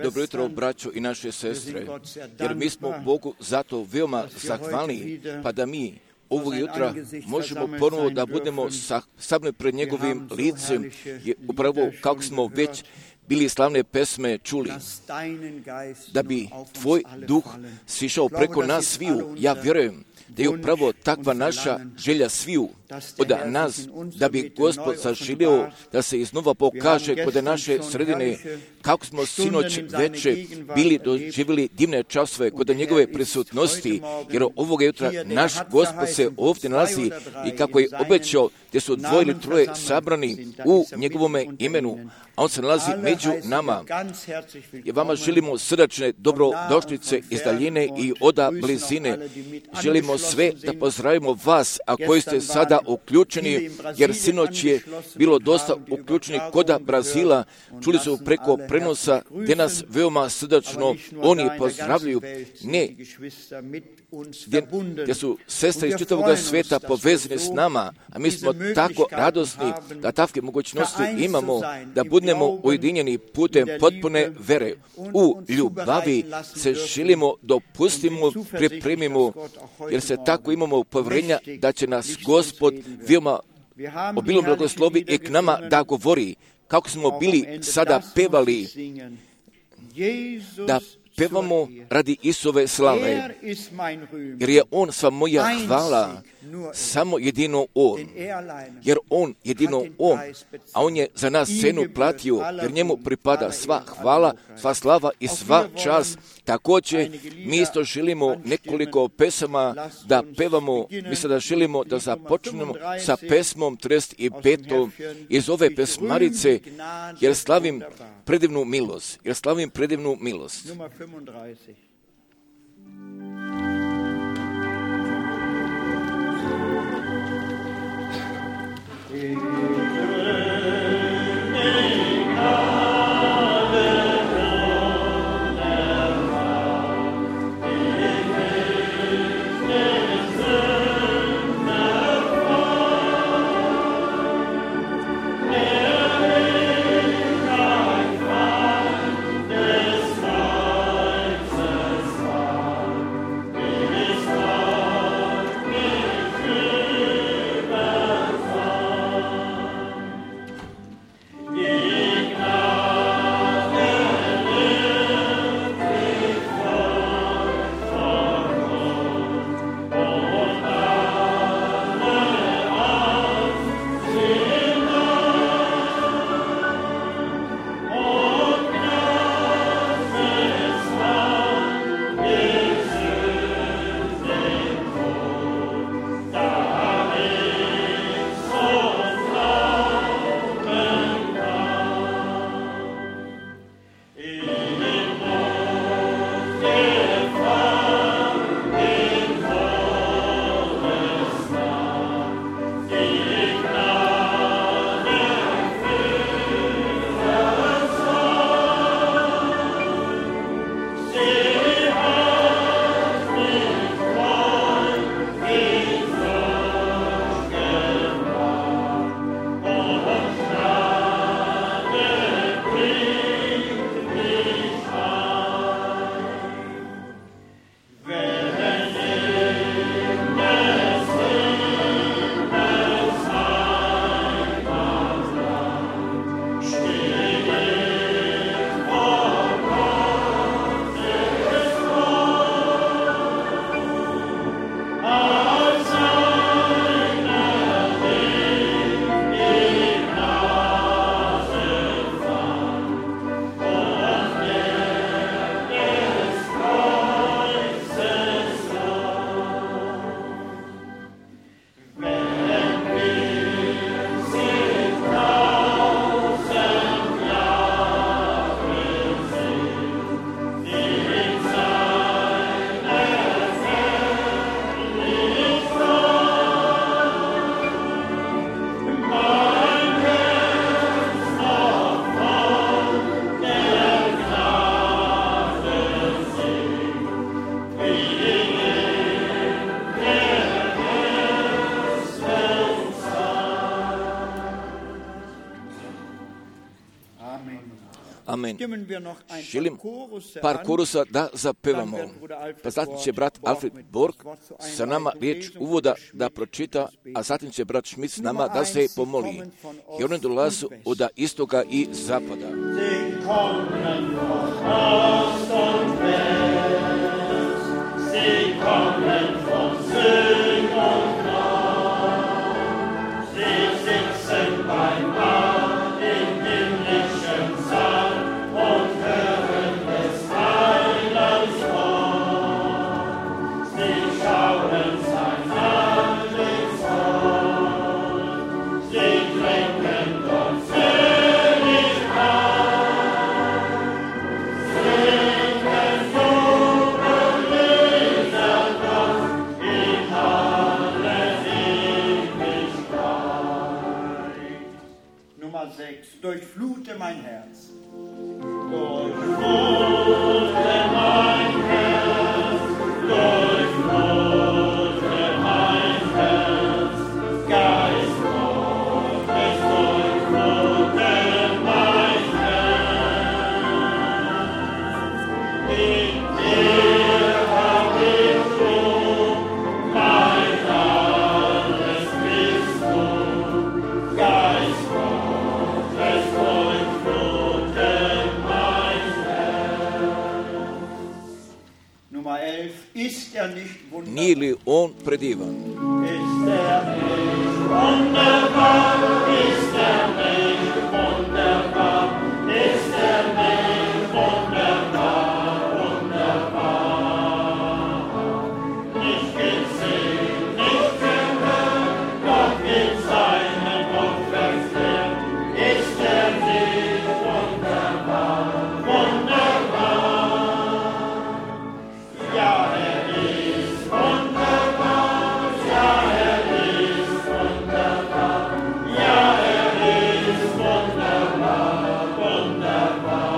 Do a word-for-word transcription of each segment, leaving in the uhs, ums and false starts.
Dobro jutro, braćo i naše sestre, jer mi smo Bogu zato veoma zahvalni, pa da mi ovog jutra možemo ponovo da budemo stavljeni pred njegovim licem, upravo kako smo već bili slavne pesme čuli, da bi tvoj duh sišao preko nas sviju. Ja vjerujem da je upravo takva naša želja sviju od nas, da bi Gospod zaželio da se iznova pokaže kod naše sredine, kako smo sinoć veče bili doživjeli divne časove kod njegove prisutnosti, jer ovoga jutra naš Gospod se ovdje nalazi i kako je obećao, gdje su dvoje ili troje sabrani u njegovome imenu, a on se nalazi među nama. I vama želimo srdačne dobrodošlice iz daljine i oda blizine. Želimo sve da pozdravimo vas, a koji ste sada uključeni, jer sinoć je bilo dosta uključeni koda Brazila. Čuli su preko prenosa gdje nas veoma srdačno oni pozdravljaju. Ne, gdje, gdje su sestre iz čitavog svijeta povezane s nama, a mi smo tako radosni da takve mogućnosti imamo, da budemo ujedinjeni putem potpune vere. U ljubavi se želimo dopustimo, pripremimo, jer se tako imamo povjerenja da će nas Gospod veoma obilno blagoslovi i k nama da govori, kako smo bili sada pevali, da pevamo radi Isove slave, jer je On sva moja hvala, samo jedino On, jer On, jedino On, a On je za nas cenu platio, jer njemu pripada sva hvala, sva slava i sva čast. Također, mi isto želimo nekoliko pesama da pevamo, mi sada želimo da započnemo sa pesmom trideset pet iz ove pesmarice, jer slavim predivnu milost, jer slavim predivnu milost. Amen. Želim par korusa da zapevamo. Pa zatim će brat Alfred Borg sa nama riječ uvoda da pročita, a zatim će brat Schmidt s nama da se pomoli. I oni dolaze od istoga i zapada. Sie kommen von Süd und Nord, sie sitzen beim Mahl im himmlischen Saal und hören des Heilands Wort. Sie schauen sein Antlitz, sie trinken dort selig ein, singen Jubellieder Gott in alle Ewigkeit. Nummer sechs. Durchflute mein Herz. Durchflute mein Herz, durchflute mein Herz, Geist Gottes, durchflute mein Herz. In dir hab ich du, mein alles bist du, Geist Gottes, durchflute mein Herz. Nummer elf. Ist er nicht wunderbar? Nije li on predivan? Ist er nicht wunderbar? Ist er nicht wunderbar? Ist er nicht wunderbar? Wunderbar. Nicht gesehen, nicht gehört, doch in seinem Wort verkehrt. Ist er nicht wunderbar? Wunderbar. Ja, er ist wunderbar. Ja, er ist wunderbar. Ja, er ist wunderbar. Wunderbar.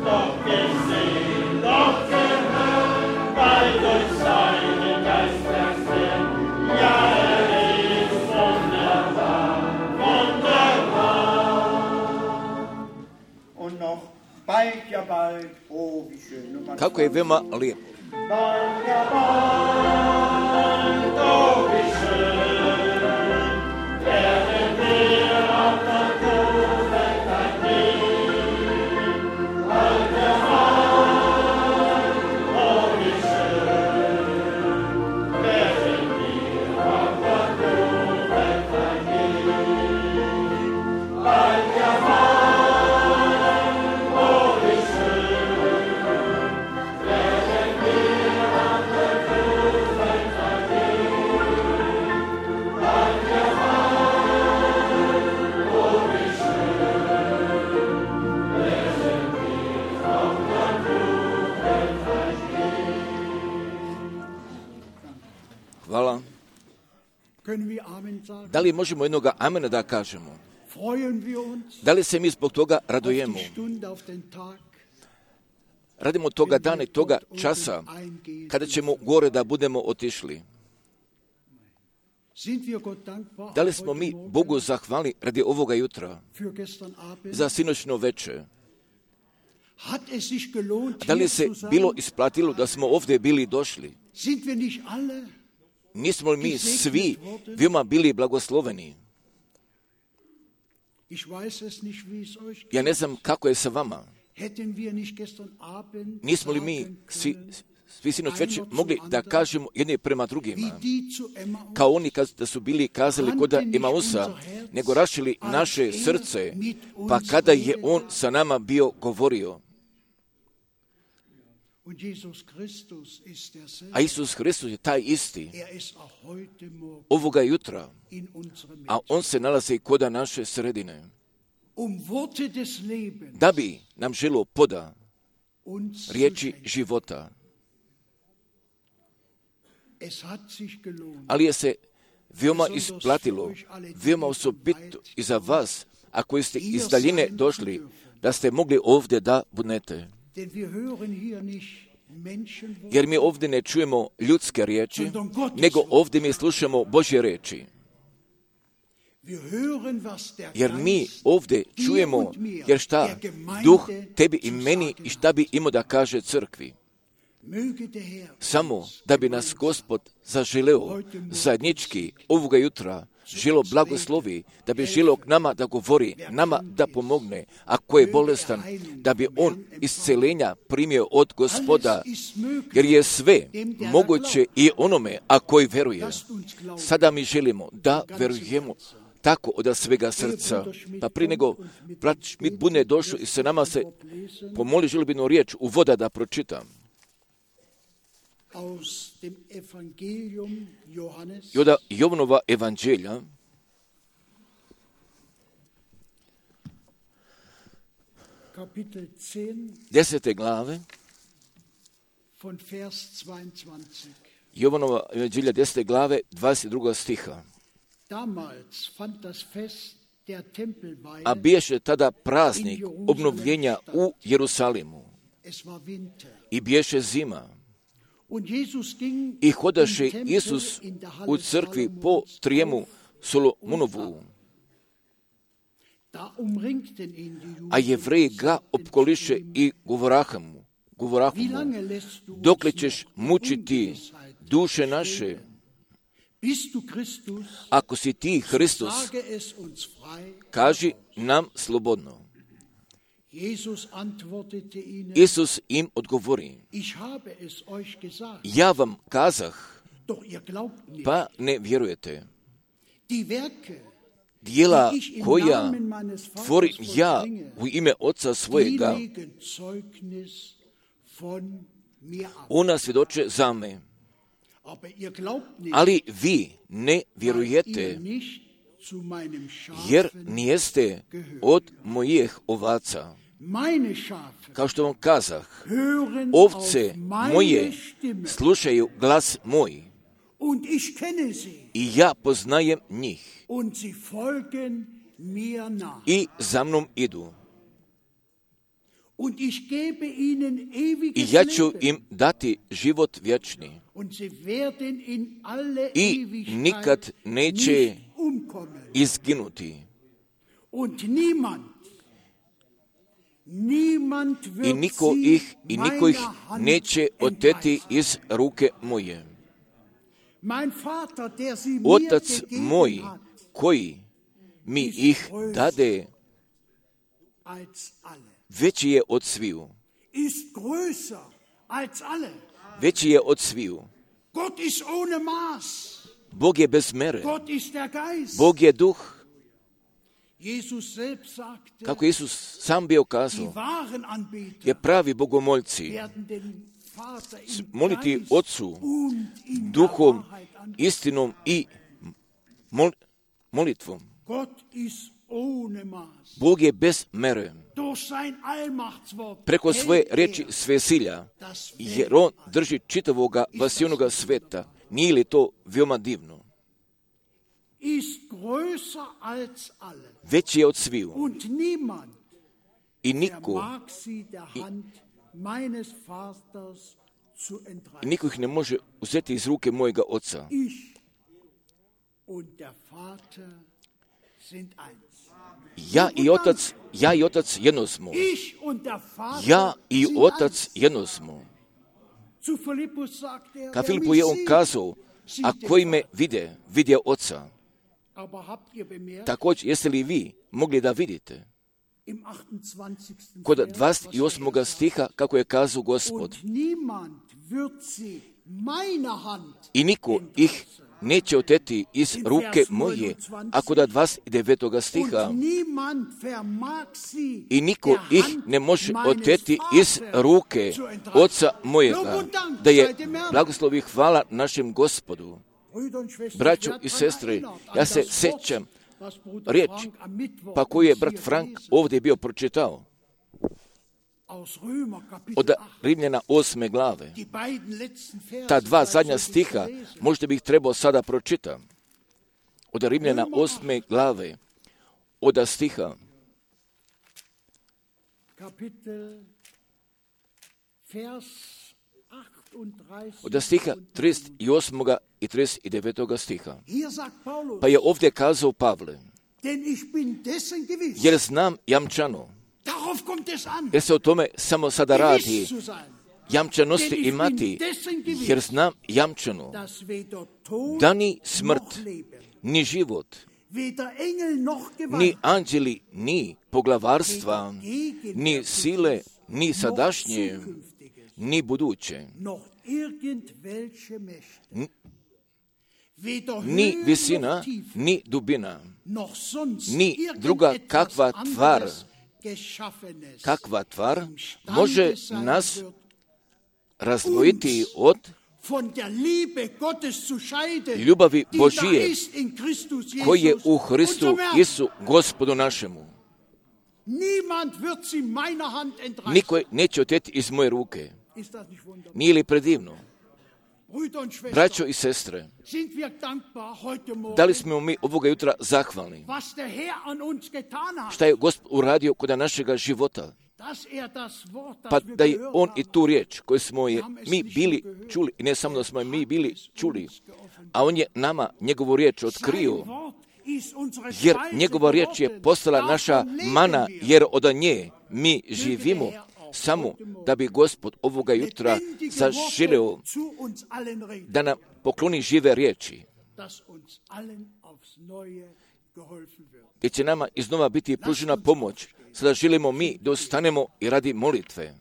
Doch gesehen, doch gehört, weil durch seinen Geist verkehrt. Ja, er ist wunderbar. Wunderbar. Und noch bald, ja bald. Oh, wie schön. Nummer Kako je veoma lijep. Bald, ja bald, oh wie schön, werden wir auf der Kuhwelt gehen. Bald, ja bald, oh wie schön, werden wir auf der Kuhwelt gehen. Bald, ja bald, oh wie schön, werden wir auf der Kuhwelt gehen. Bald, ja bald, oh wie schön, werden wir auf der Kuhwelt gehen. Hvala. Können wir Amen sagen? Da li možemo jednoga amena da kažemo? Freuen wir uns Da li se mi zbog toga auf radujemo? die Stunde, auf den Tag, Radimo toga dana i toga časa kada ćemo gore da budemo otišli. sind wir Gott dankbar Da li auch smo heute mi Morgen Bogu zahvalni radi ovoga jutra, für gestern Abend? za sinoćno veče? Hat es sich gelohnt, Da li hier se zu sein? bilo isplatilo da smo ovdje bili došli? Sind wir nicht alle? Nismo li mi svi veoma bili blagosloveni? Ich weiß es nicht, wie es euch Ja geht. ne znam kako je sa vama. Hätten wir nicht gestern Abend Nismo li mi sagen svi, können, svi sinoć već mogli da kažemo jedni prema drugima, wie die zu Emmaus, kao oni kad da su bili kazali kod Emausa, nego rašili naše srce, pa kada je on sa nama bio govorio. und Jesus Christus ist derselbe. A Isus Hristos je taj isti Er ist auch heute Morgen ovoga jutra, in unserem a Mitte. on se nalazi i kod naše sredine, Um Worte des Lebens da bi nam želo poda uns zu riječi schenken. života. Es hat sich gelohnt. Ali je se veoma isplatilo, veoma osobito i za vas, ako ste iz daljine došli, da ste mogli ovdje da budete. Denn wir hören hier nicht Menschenworte, Jer mi ovdje ne čujemo ljudske riječi, nego ovdje mi slušamo Božje riječi. Jer mi ovdje čujemo, jer šta Duh tebi i meni i šta bi imao da kaže crkvi. Samo da bi nas Gospod zaželeo zajednički ovoga jutra želo blagoslovi, da bi želeo k nama da govori, nama da pomogne, ako je bolestan, da bi on iscelenja primio od Gospoda, jer je sve moguće i onome, a koji veruje. Sada mi želimo da verujemo tako od svega srca. Pa prije nego brat Schmidt bude došao i se nama se pomoli želbinu riječ u voda da pročitam. I od Jovanova evanđelja, desete glave, Jovanova evanđelja desete glave, dvadeset druga stiha. A biješe tada praznik obnovljenja u Jerusalimu i biješe zima. I hodaše Isus u crkvi po trijemu Solomonovu. A Jevreji ga opkoliše i govoraha mu, govorahu mu, dokle ćeš mučiti duše naše? Ako si ti Hristos, kaži nam slobodno. Isus im odgovori, ja vam kazah, pa ne vjerujete. Dijela koja tvorim ja u ime Oca svojega, ona svjedoče za me. Ali vi ne vjerujete, jer nijeste od mojih ovaca. Kao što vam kazah, ovce moje slušaju glas moj i ja poznajem njih i za mnom idu. I ja ću im dati život vječni i nikad neće izginuti. I niko ih i niko ih neće oteti iz ruke moje. Otac moj, koji mi ih dade, veći je od sviju. Veći je od sviju. Bog je bez mere. Bog je duh. Kako Isus sam bio kazao, je pravi bogomoljci moliti Otcu duhom, istinom i mol, molitvom. Bog je bez mere. Preko svoje riječi svesilja, jer on drži čitavoga vasijonoga sveta. Nije li to veoma divno? Veći je od sviju. I niko i, i niko ih ne može uzeti iz ruke mojega Oca. Ja i Otac, ja i Otac jedno smo. Ja i Otac jedno smo. Ka Filipu je on kazao, a koji me vide, vide Oca. Također, jeste li vi mogli da vidite? Kod dvadeset osmog stiha, kako je kazao Gospod, i niko ih neće oteti iz ruke moje, a kod dvadeset devetog stiha, i niko ih ne može oteti iz ruke Oca mojega, da je blagoslov i hvala našem Gospodu. Braćo i sestre, ja se sjećam riječ, pa koju je brat Frank ovdje bio pročitao, od Rimljana osme glave. Ta dva zadnja stiha, možda bih trebao sada pročitati. Od Rimljana osme glave, od stiha od stiha trideset osmog i trideset devetog stiha. Pa je ovdje kazao Pavle, jer znam jamčano. Jer se o tome samo sada radi. Jamčanosti imati, jer znam jamčano da ni smrt, ni život, ni anđeli, ni poglavarstva, ni sile, ni sadašnje, ni buduće, ni visina, ni dubina, ni druga kakva tvar, kakva tvar može nas razdvojiti od ljubavi Božije koji je u Hristu Isu Gospodu našemu. Niko neće oteti iz moje ruke. Nije li predivno? Braćo i sestre, da li smo mi ovoga jutra zahvalni? Šta je Gospod uradio kod našega života? Pa da je On i tu riječ koju smo je mi bili čuli, i ne samo da smo je mi bili čuli, a On je nama njegovu riječ otkrio, jer njegova riječ je postala naša mana, jer od nje mi živimo, samo da bi Gospod ovoga jutra zaželeo da nam pokloni žive riječi, gdje će nama iznova biti pružena pomoć. Sada želimo mi da ostanemo i radi molitve.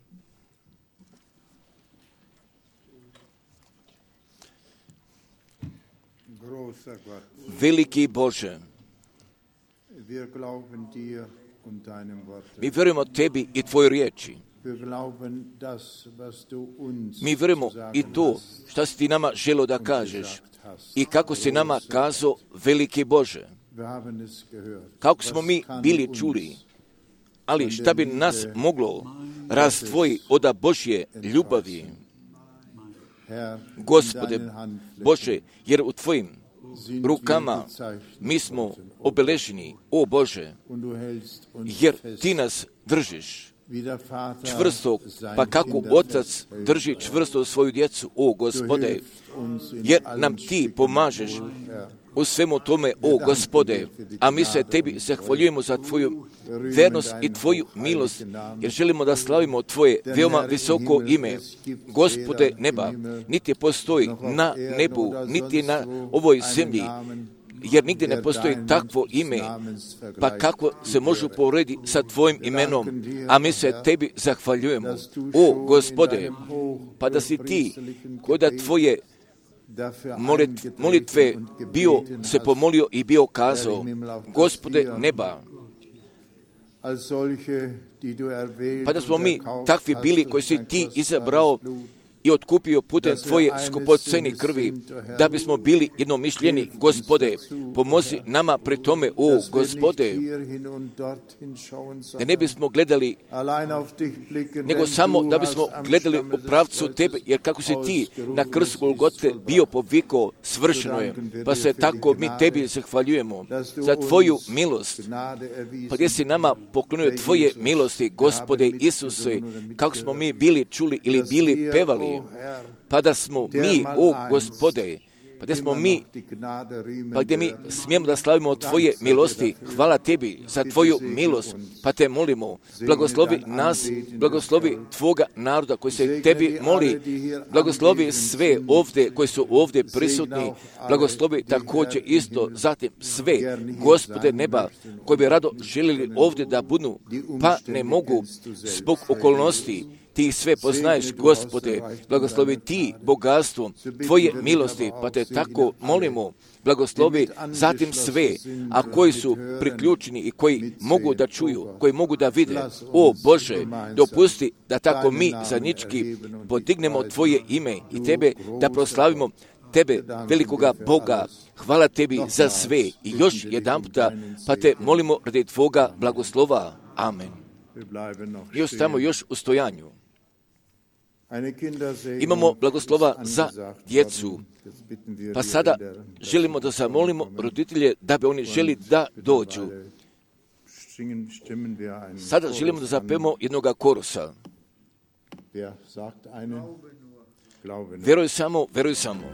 Veliki Bože, mi vjerujemo Tebi i Tvojoj riječi. Mi vjerujemo i to što si Ti nama želio da kažeš i kako si nama kazao, veliki Bože. Kako smo mi bili čuli, ali šta bi nas moglo razdvojiti od Božje ljubavi? Gospode Bože, jer u Tvojim rukama mi smo obeleženi, o Bože, jer Ti nas držiš čvrsto, pa kako Otac drži čvrsto svoju djecu, o Gospode, jer nam Ti pomažeš u svemu tome, o Gospode, a mi se Tebi zahvaljujemo za Tvoju vernost i Tvoju milost, jer želimo da slavimo Tvoje veoma visoko ime. Gospode neba, niti postoji na nebu, niti na ovoj zemlji, jer nigdje ne postoji takvo ime, pa kako se može uporediti sa Tvojim imenom, a mi se Tebi zahvaljujemo. O Gospode, pa da si Ti, kod da Tvoje molitve bio se pomolio i bio kazao, Gospode neba, pa da smo mi takvi bili koji si Ti izabrao i otkupio putem Tvoje skupoceni krvi, da bismo bili jednomišljeni, Gospode, pomozi nama pri tome, o Gospode, da ne bismo gledali, nego samo da bismo gledali u pravcu Tebe, jer kako si Ti na krstu Golgote bio povikao, svršeno je, pa se tako mi Tebi zahvaljujemo za Tvoju milost, pa gdje si nama poklonio Tvoje milosti, Gospode Isuse, kako smo mi bili čuli ili bili pevali, pa da smo mi, o Gospode, pa gdje smo mi, pa gdje mi smijemo da slavimo Tvoje milosti, hvala Tebi za Tvoju milost, pa Te molimo, blagoslovi nas, blagoslovi Tvoga naroda koji se Tebi moli, blagoslovi sve ovdje koji su ovdje prisutni, blagoslovi također isto zatim sve, Gospode neba, koji bi rado željeli ovdje da budu, pa ne mogu zbog okolnosti. Ti sve poznaješ, Gospode, blagoslovi Ti bogatstvo Tvoje milosti, pa Te tako molimo, blagoslovi zatim sve, a koji su priključeni i koji mogu da čuju, koji mogu da vide. O Bože, dopusti da tako mi zajednički podignemo Tvoje ime i Tebe da proslavimo Tebe, velikoga Boga. Hvala Tebi za sve i još jedan puta, pa Te molimo radi Tvoga blagoslova. Amen. I ostajemo još u stojanju. Imamo blagoslova za djecu, pa sada želimo da zamolimo roditelje da bi oni želi da dođu. Sada želimo da zapemo jednoga korusa. Vjeruj samo, vjeruj samo.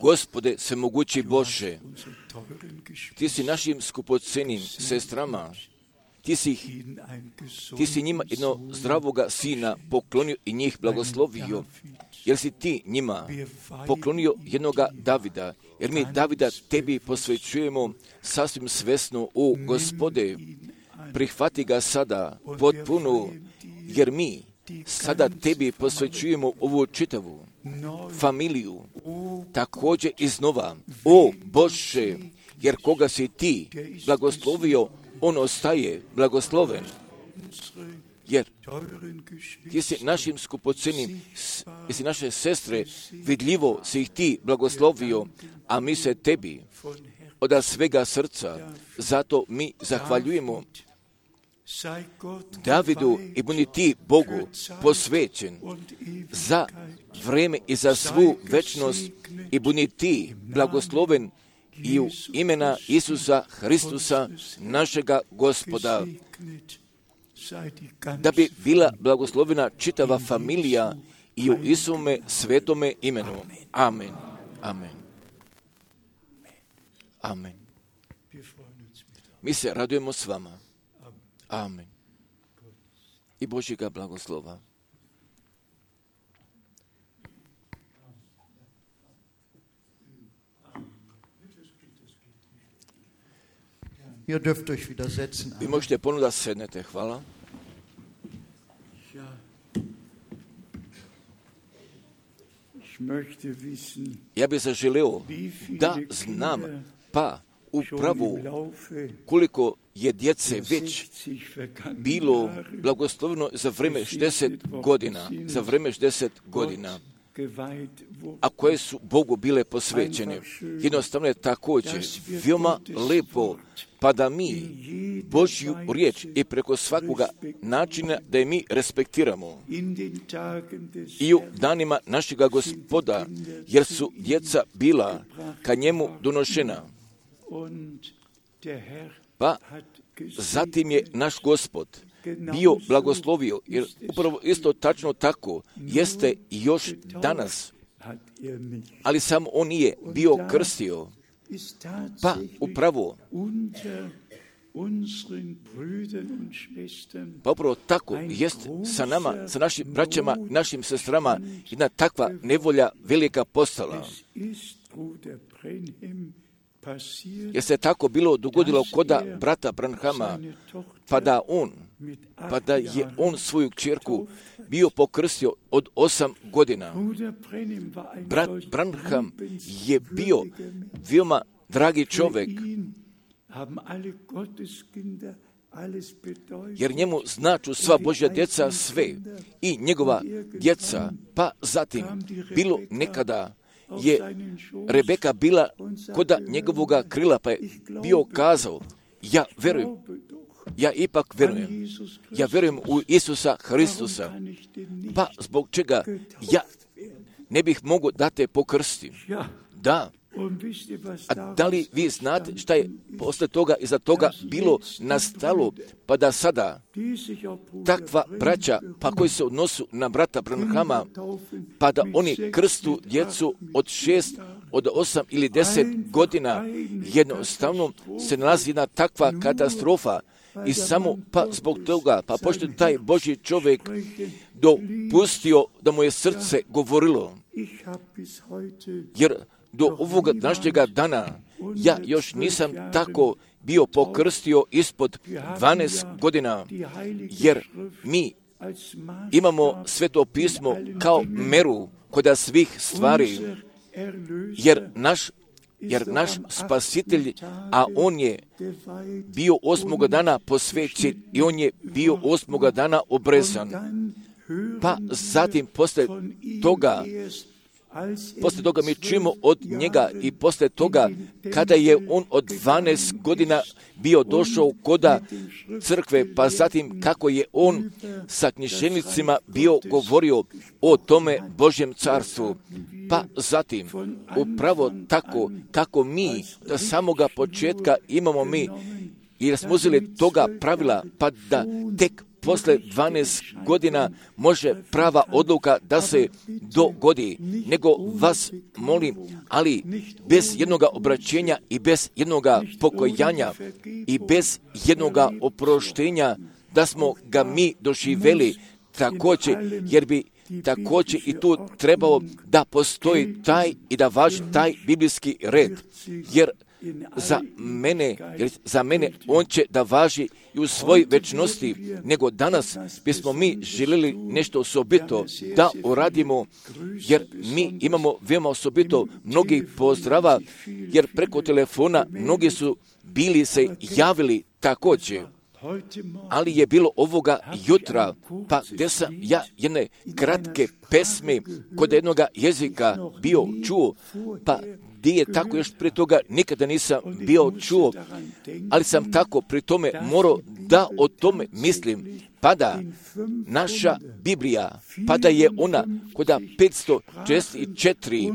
Gospode, svemogući Bože, Ti si našim skupocenim sestrama, Ti si, ti si njima jedno zdravoga sina poklonio i njih blagoslovio, jer si Ti njima poklonio jednoga Davida, jer mi Davida Tebi posvećujemo sasvim svesno, o Gospode, prihvati ga sada potpuno, jer mi sada Tebi posvećujemo ovu čitavu familiju, također iznova, o Bože, jer koga si Ti blagoslovio, on ostaje blagosloven, jer Ti si našim skupocenim, Ti si naše sestre, vidljivo si ih Ti blagoslovio, a mi se Tebi od svega srca, zato mi zahvaljujemo Davidu i budi Ti Bogu posvećen za vreme i za svu večnost i budi Ti blagosloven i u imena Isusa Hristusa, našega Gospoda, da bi bila blagoslovena čitava familija i u Isume svetome imenu. Amen. Amen. Amen. Mi se radujemo s vama. Amen. I Božjega blagoslova. Ihr dürft euch wieder setzen. Vi možete ponovno da sednete. Hvala. Ja bih zaželeo da znam pa upravo koliko je djece već bilo blagosloveno za vreme šezdeset godina, za vreme šezdeset godina, a koje su Bogu bile posvećene. Jednostavno je također veoma lepo, pa da mi Božju riječ i preko svakoga načina da je mi respektiramo i u danima našega Gospoda, jer su djeca bila ka njemu donošena. Pa zatim je naš Gospod bio blagoslovio, jer upravo isto tačno tako jeste još danas, ali samo on nije bio krstio. Pa upravo pa upravo tako jest sa nama, sa našim braćama, našim sestrama, jedna takva nevolja velika postala. Jer se tako bilo dogodilo koda brata Branhama, pa da on, pa da je on svoju kćerku bio pokrstio od osam godina. Brat Branham je bio veoma dragi čovjek, jer njemu značu sva Božja djeca sve i njegova djeca, pa zatim bilo nekada je Rebeka bila koda njegovoga krila, pa je bio kazao, ja verujem, ja ipak verujem, ja verujem u Isusa Hristusa, pa zbog čega ja ne bih mogao da te pokrstim. Da. A da li vi znate šta je posle toga iza toga bilo nastalo, pa da sada takva braća, pa koji se odnosu na brata Branhama, pa da oni krstu djecu od šest, od osam ili deset godina, jednostavno se nalazi jedna takva katastrofa. I samo pa zbog toga, pa pošto taj Božji čovjek dopustio da mu je srce govorilo, jer do ovoga današnjega dana ja još nisam tako bio pokrstio ispod dvanaest godina, jer mi imamo Sveto pismo kao meru kod svih stvari, jer naš jer naš spasitelj, a on je bio osmoga dana posvećen i on je bio osmoga dana obrezan. Pa zatim posle toga Posle toga mi čujemo od njega i posle toga kada je on od dvanaest godina bio došao koda crkve, pa zatim kako je on sa književnicima bio govorio o tome Božjem carstvu. Pa zatim, upravo tako kako mi do samoga početka imamo mi, jer smo uzeli toga pravila, pa da tek posle dvanaest godina može prava odluka da se dogodi, nego vas molim, ali bez jednoga obraćenja i bez jednoga pokojanja i bez jednoga oproštenja, da smo ga mi doživjeli također, jer bi također i tu trebao da postoji taj i da važi taj biblijski red, jer za mene, jer za mene on će da važi i u svoj večnosti, nego danas bismo mi željeli nešto osobito da uradimo, jer mi imamo veoma osobito mnogih pozdrava, jer preko telefona mnogi su bili se javili također. Ali je bilo ovoga jutra, pa gdje sam ja jedne kratke pesme kod jednoga jezika bio čuo, pa gdje je tako još prije toga nikada nisam bio čuo, ali sam tako pri tome morao da o tome mislim, pa da naša Biblija, pa da je ona koda petsto šezdeset četiri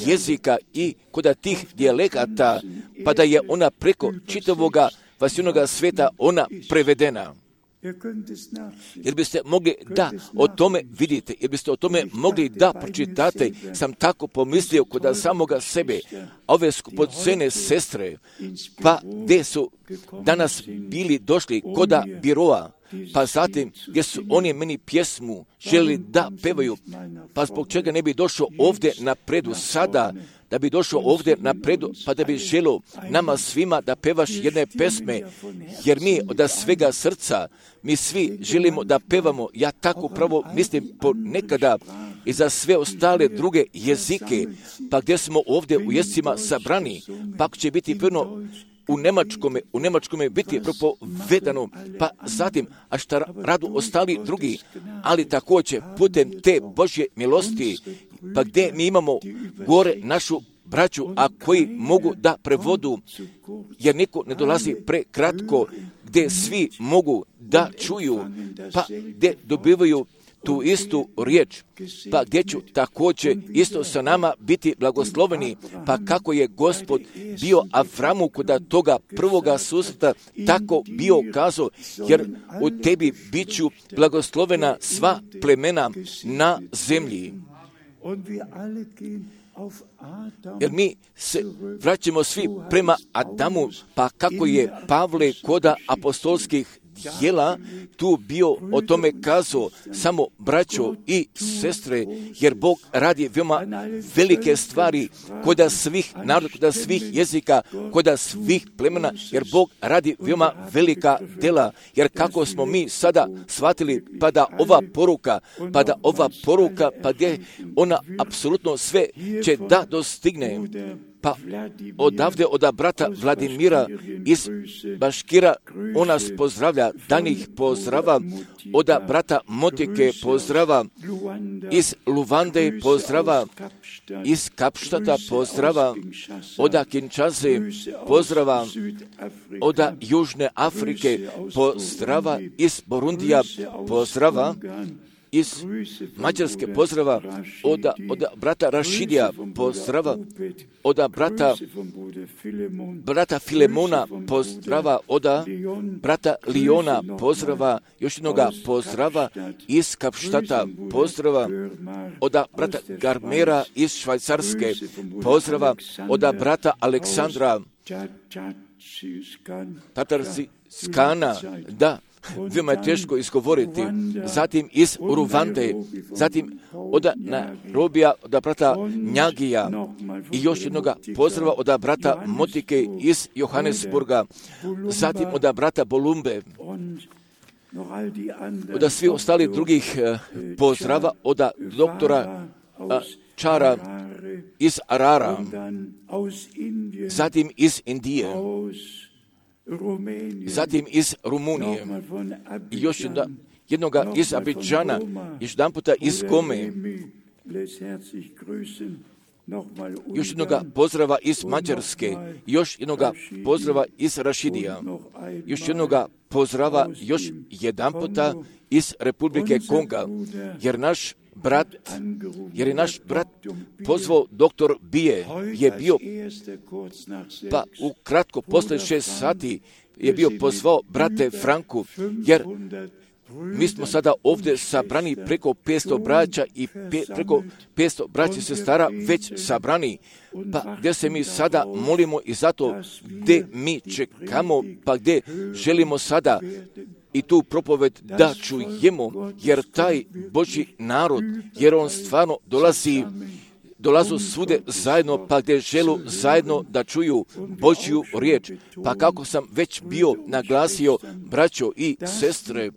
jezika i koda tih dijalekata, pa da je ona preko čitavoga vasivnoga sveta ona prevedena. Jer biste mogli da o tome vidite, jer biste o tome mogli da pročitate, sam tako pomislio kod samoga sebe, ove skupocene sestre, pa gdje su danas bili došli koda biroa, pa zatim gdje su oni meni pjesmu želi da pevaju, pa zbog čega ne bi došao ovdje napredu sada, da bi došao ovdje napredu, pa da bi želio nama svima da pevaš jedne pesme, jer mi od svega srca, mi svi želimo da pevamo, ja tako pravo mislim ponekada i za sve ostale druge jezike, pa gdje smo ovdje u jezicima sabrani, pa će biti prvo u Njemačkome, u Njemačkome biti propovedano, pa zatim, a šta radu ostali drugi, ali također putem te Božje milosti, pa gdje mi imamo gore našu braću, a koji mogu da prevodu, jer niko ne dolazi prekratko, gdje svi mogu da čuju, pa gdje dobivaju tu istu riječ, pa gdje ću također isto sa nama biti blagosloveni, pa kako je Gospod bio Avramu kod toga prvoga susreta tako bio kazao, jer u tebi bit ću blagoslovena sva plemena na zemlji. Jer mi se vraćamo svi prema Adamu, pa kako je Pavle koda apostolskih djela tu bio o tome kazao, samo braćo i sestre, jer Bog radi veoma velike stvari koda svih naroda, koda svih jezika, koda svih plemena, jer Bog radi veoma velika djela, jer kako smo mi sada shvatili, pa da ova poruka, pa da ova poruka, pa gdje ona apsolutno sve će da dostigne. Pa odavde od brata Vladimira iz Baškira on nas pozdravlja, danih pozdrava, od brata Motike pozdrava, iz Luvande pozdrava, iz Kapštata pozdrava, od Kinshase pozdrava, od Južne Afrike pozdrava, iz Borundija pozdrava, iz Mađarske pozdrava, od, od brata Rašidija pozdrava, od brata, brata Filemona pozdrava, od brata Liona pozdrava, još jednoga pozdrava, iz Kapštata pozdrava, od brata Garmera iz Švajcarske pozdrava, od brata Aleksandra Tatarskana, da, veoma je teško izgovoriti, zatim iz Ruvande, zatim od Nairobija, od brata Njagija i još jednoga pozdrava od brata Motike iz Johannesburga, zatim od brata Bolumbe, od svih ostalih drugih pozdrava, od doktora Čara iz Arara, zatim iz Indije, zatim iz Rumunije, i još jedna, jednoga iz Abidžana, još jedan puta iz Gome, još jednoga pozdrava iz Mađarske, još jednoga pozdrava iz Rašidija, još jednoga pozdrava još jedan puta iz Republike Konga, jer naš brat, jer je naš brat pozvao doktor Bije, je bio, pa ukratko posle šest sati je bio pozvao brate Franku, jer mi smo sada ovdje sabrani preko petsto braća i pe, preko petsto braća i sestara već sabrani, pa gdje se mi sada molimo i zato gdje mi čekamo, pa gdje želimo sada i tu propoved da čujemo, jer taj Božji narod, jer on stvarno dolazi dolazu svude zajedno, pa gdje želu zajedno da čuju Božju riječ. Pa kako sam već bio naglasio, braćo i sestre,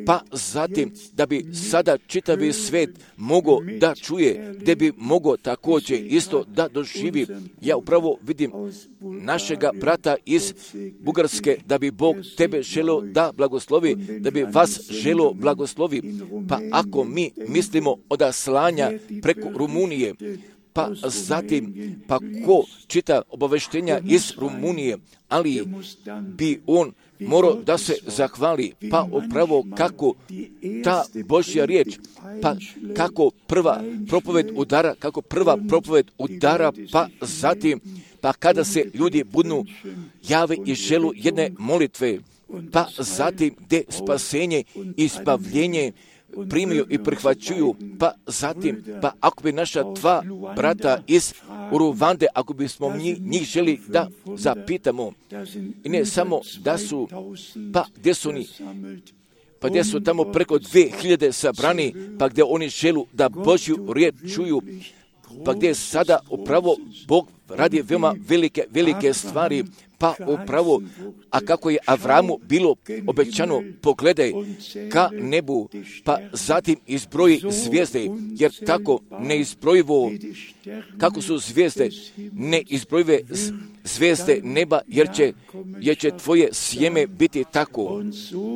pa zatim da bi sada čitavi svet mogao da čuje, gdje bi mogao također isto da doživi. Ja upravo vidim našega brata iz Bugarske, da bi Bog tebe želio da blagoslovi, da bi vas želio blagoslovi. Pa ako mi mislimo od slanja preko Rumunije, pa zatim, pa ko čita obaveštenja iz Rumunije, ali bi on morao da se zahvali, pa upravo kako ta Božja riječ, pa kako prva propoved udara, kako prva propoved udara, pa zatim, pa kada se ljudi budnu jave i želu jedne molitve, pa zatim gdje spasenje i spavljenje primiju i prihvaćuju, pa zatim, pa ako bi naša dva brata iz Uruvande, ako bismo njih, njih želi da zapitamo, i ne samo da su, pa gdje su oni, pa gdje su tamo preko dvije hiljade sabrani, pa gdje oni želu da Božju riječ čuju, pa gdje sada upravo Bog radi veoma velike, velike stvari, pa upravo, a kako je Avramu bilo obećano, pogledaj ka nebu, pa zatim izbroji zvijezde, jer tako neizbrojivo, kako su zvijezde, neizbrojive zvijezde neba, jer će, jer će tvoje sjeme biti tako.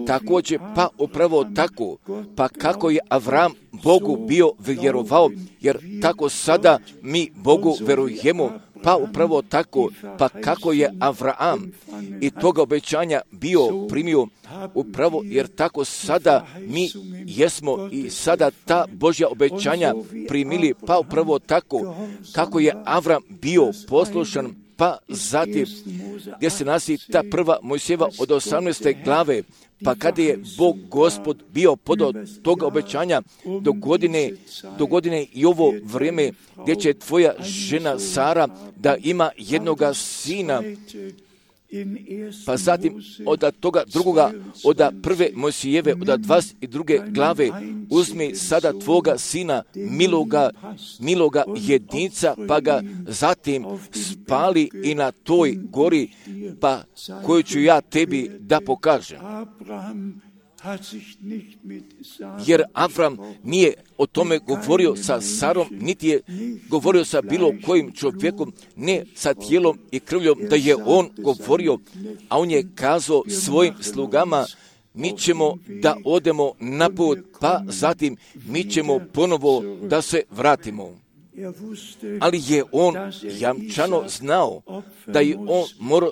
Također, pa upravo tako, pa kako je Avram Bogu bio vjerovao, jer tako sada mi Bogu verujemo, pa upravo tako, pa kako je Avraam i toga obećanja bio primio, upravo jer tako sada mi jesmo i sada ta Božja obećanja primili, pa upravo tako kako je Avram bio poslušan, pa zatim gdje se nalazi ta prva Mojsijeva od osamnaeste glave, pa kada je Bog Gospod bio podao toga obećanja do godine, do godine i ovo vrijeme gdje će tvoja žena Sara da ima jednoga sina, pa zatim od toga drugoga, od prve Mojsijeve, od dvadeset druge glave, uzmi sada tvoga sina, miloga, miloga jedinca, pa ga zatim spali i na toj gori, pa koju ću ja tebi da pokažem. Jer Avram nije o tome govorio sa Sarom, niti je govorio sa bilo kojim čovjekom, ne sa tijelom i krvljom, da je on govorio, a on je kazao svojim slugama, mi ćemo da odemo na put, pa zatim mi ćemo ponovo da se vratimo. Ali je on jamčano znao da je on morao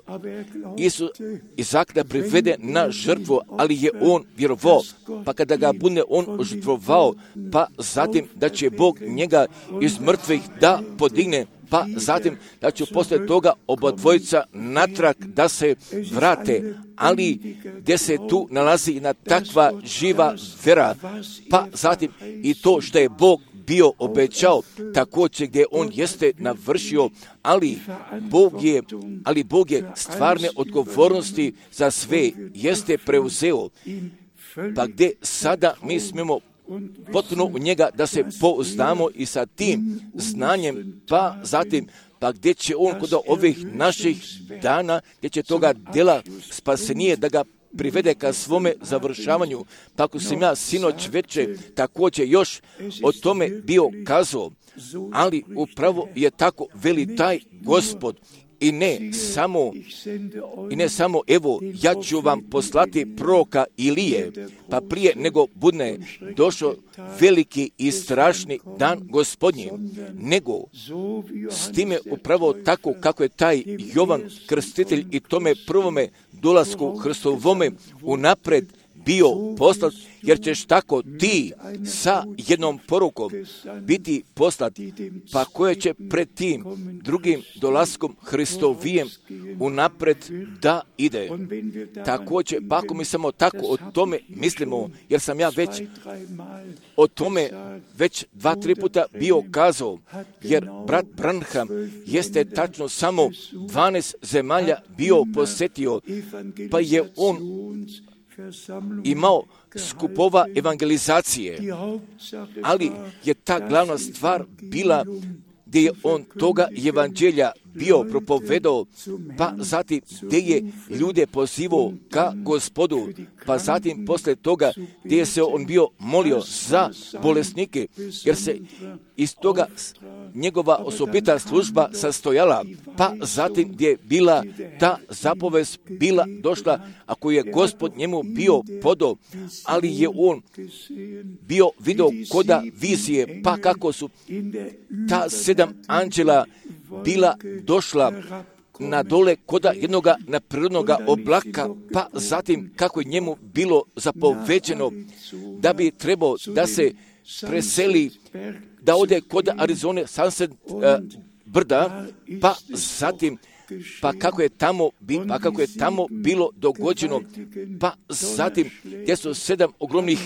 Izaka da privede na žrtvu, ali je on vjerovao, pa kada ga bude on žrtvovao, pa zatim da će Bog njega iz mrtvih da podigne, pa zatim da će poslije toga oba dvojica natrag da se vrate, ali gdje se tu nalazi jedna takva živa vera, pa zatim i to što je Bog bio obećao, također gdje on jeste navršio, ali Bog je, ali Bog je stvarne odgovornosti za sve jeste preuzeo, pa gdje sada mi smemo potpuno u njega da se pouzdamo i sa tim znanjem, pa zatim, pa gdje će on kod ovih naših dana, gdje će toga djela spasenije da ga privede ka svome završavanju. Pa ako sam ja sinoć veče također još o tome bio kazao, ali upravo je tako veli taj Gospod. I ne samo, i ne samo, evo, ja ću vam poslati proroka Ilije, pa prije nego budne došao veliki i strašni dan Gospodnji, nego s time upravo tako kako je taj Jovan Krstitelj i tome prvome dolasku Hristovome unapred bio poslat, jer ćeš tako ti sa jednom porukom biti poslat, pa koje će pred tim drugim dolaskom Hristovijem unapred da ide. Također, pa ako mi samo tako o tome mislimo, jer sam ja već o tome već dva, tri puta bio kazao, jer brat Branham jeste tačno samo dvanaest zemalja bio posjetio, pa je on imao skupova evangelizacije, ali je ta glavna stvar bila gdje je on toga evanđelja bio propovedao, pa zatim gdje je ljude pozivao ka Gospodu, pa zatim posle toga gdje je se on bio molio za bolesnike, jer se iz toga njegova osobita služba sastojala, pa zatim gdje je bila ta zapovest bila došla, ako je Gospod njemu bio podao, ali je on bio video koda vizije, pa kako su ta sedam anđela bila došla na dole koda jednoga neprirodnoga oblaka, pa zatim kako je njemu bilo zapoveđeno da bi trebao da se preseli, da ode kod Arizone Sunset uh, brda, pa zatim pa kako je tamo, pa kako je tamo bilo dogođeno, pa zatim gdje su sedam ogromnih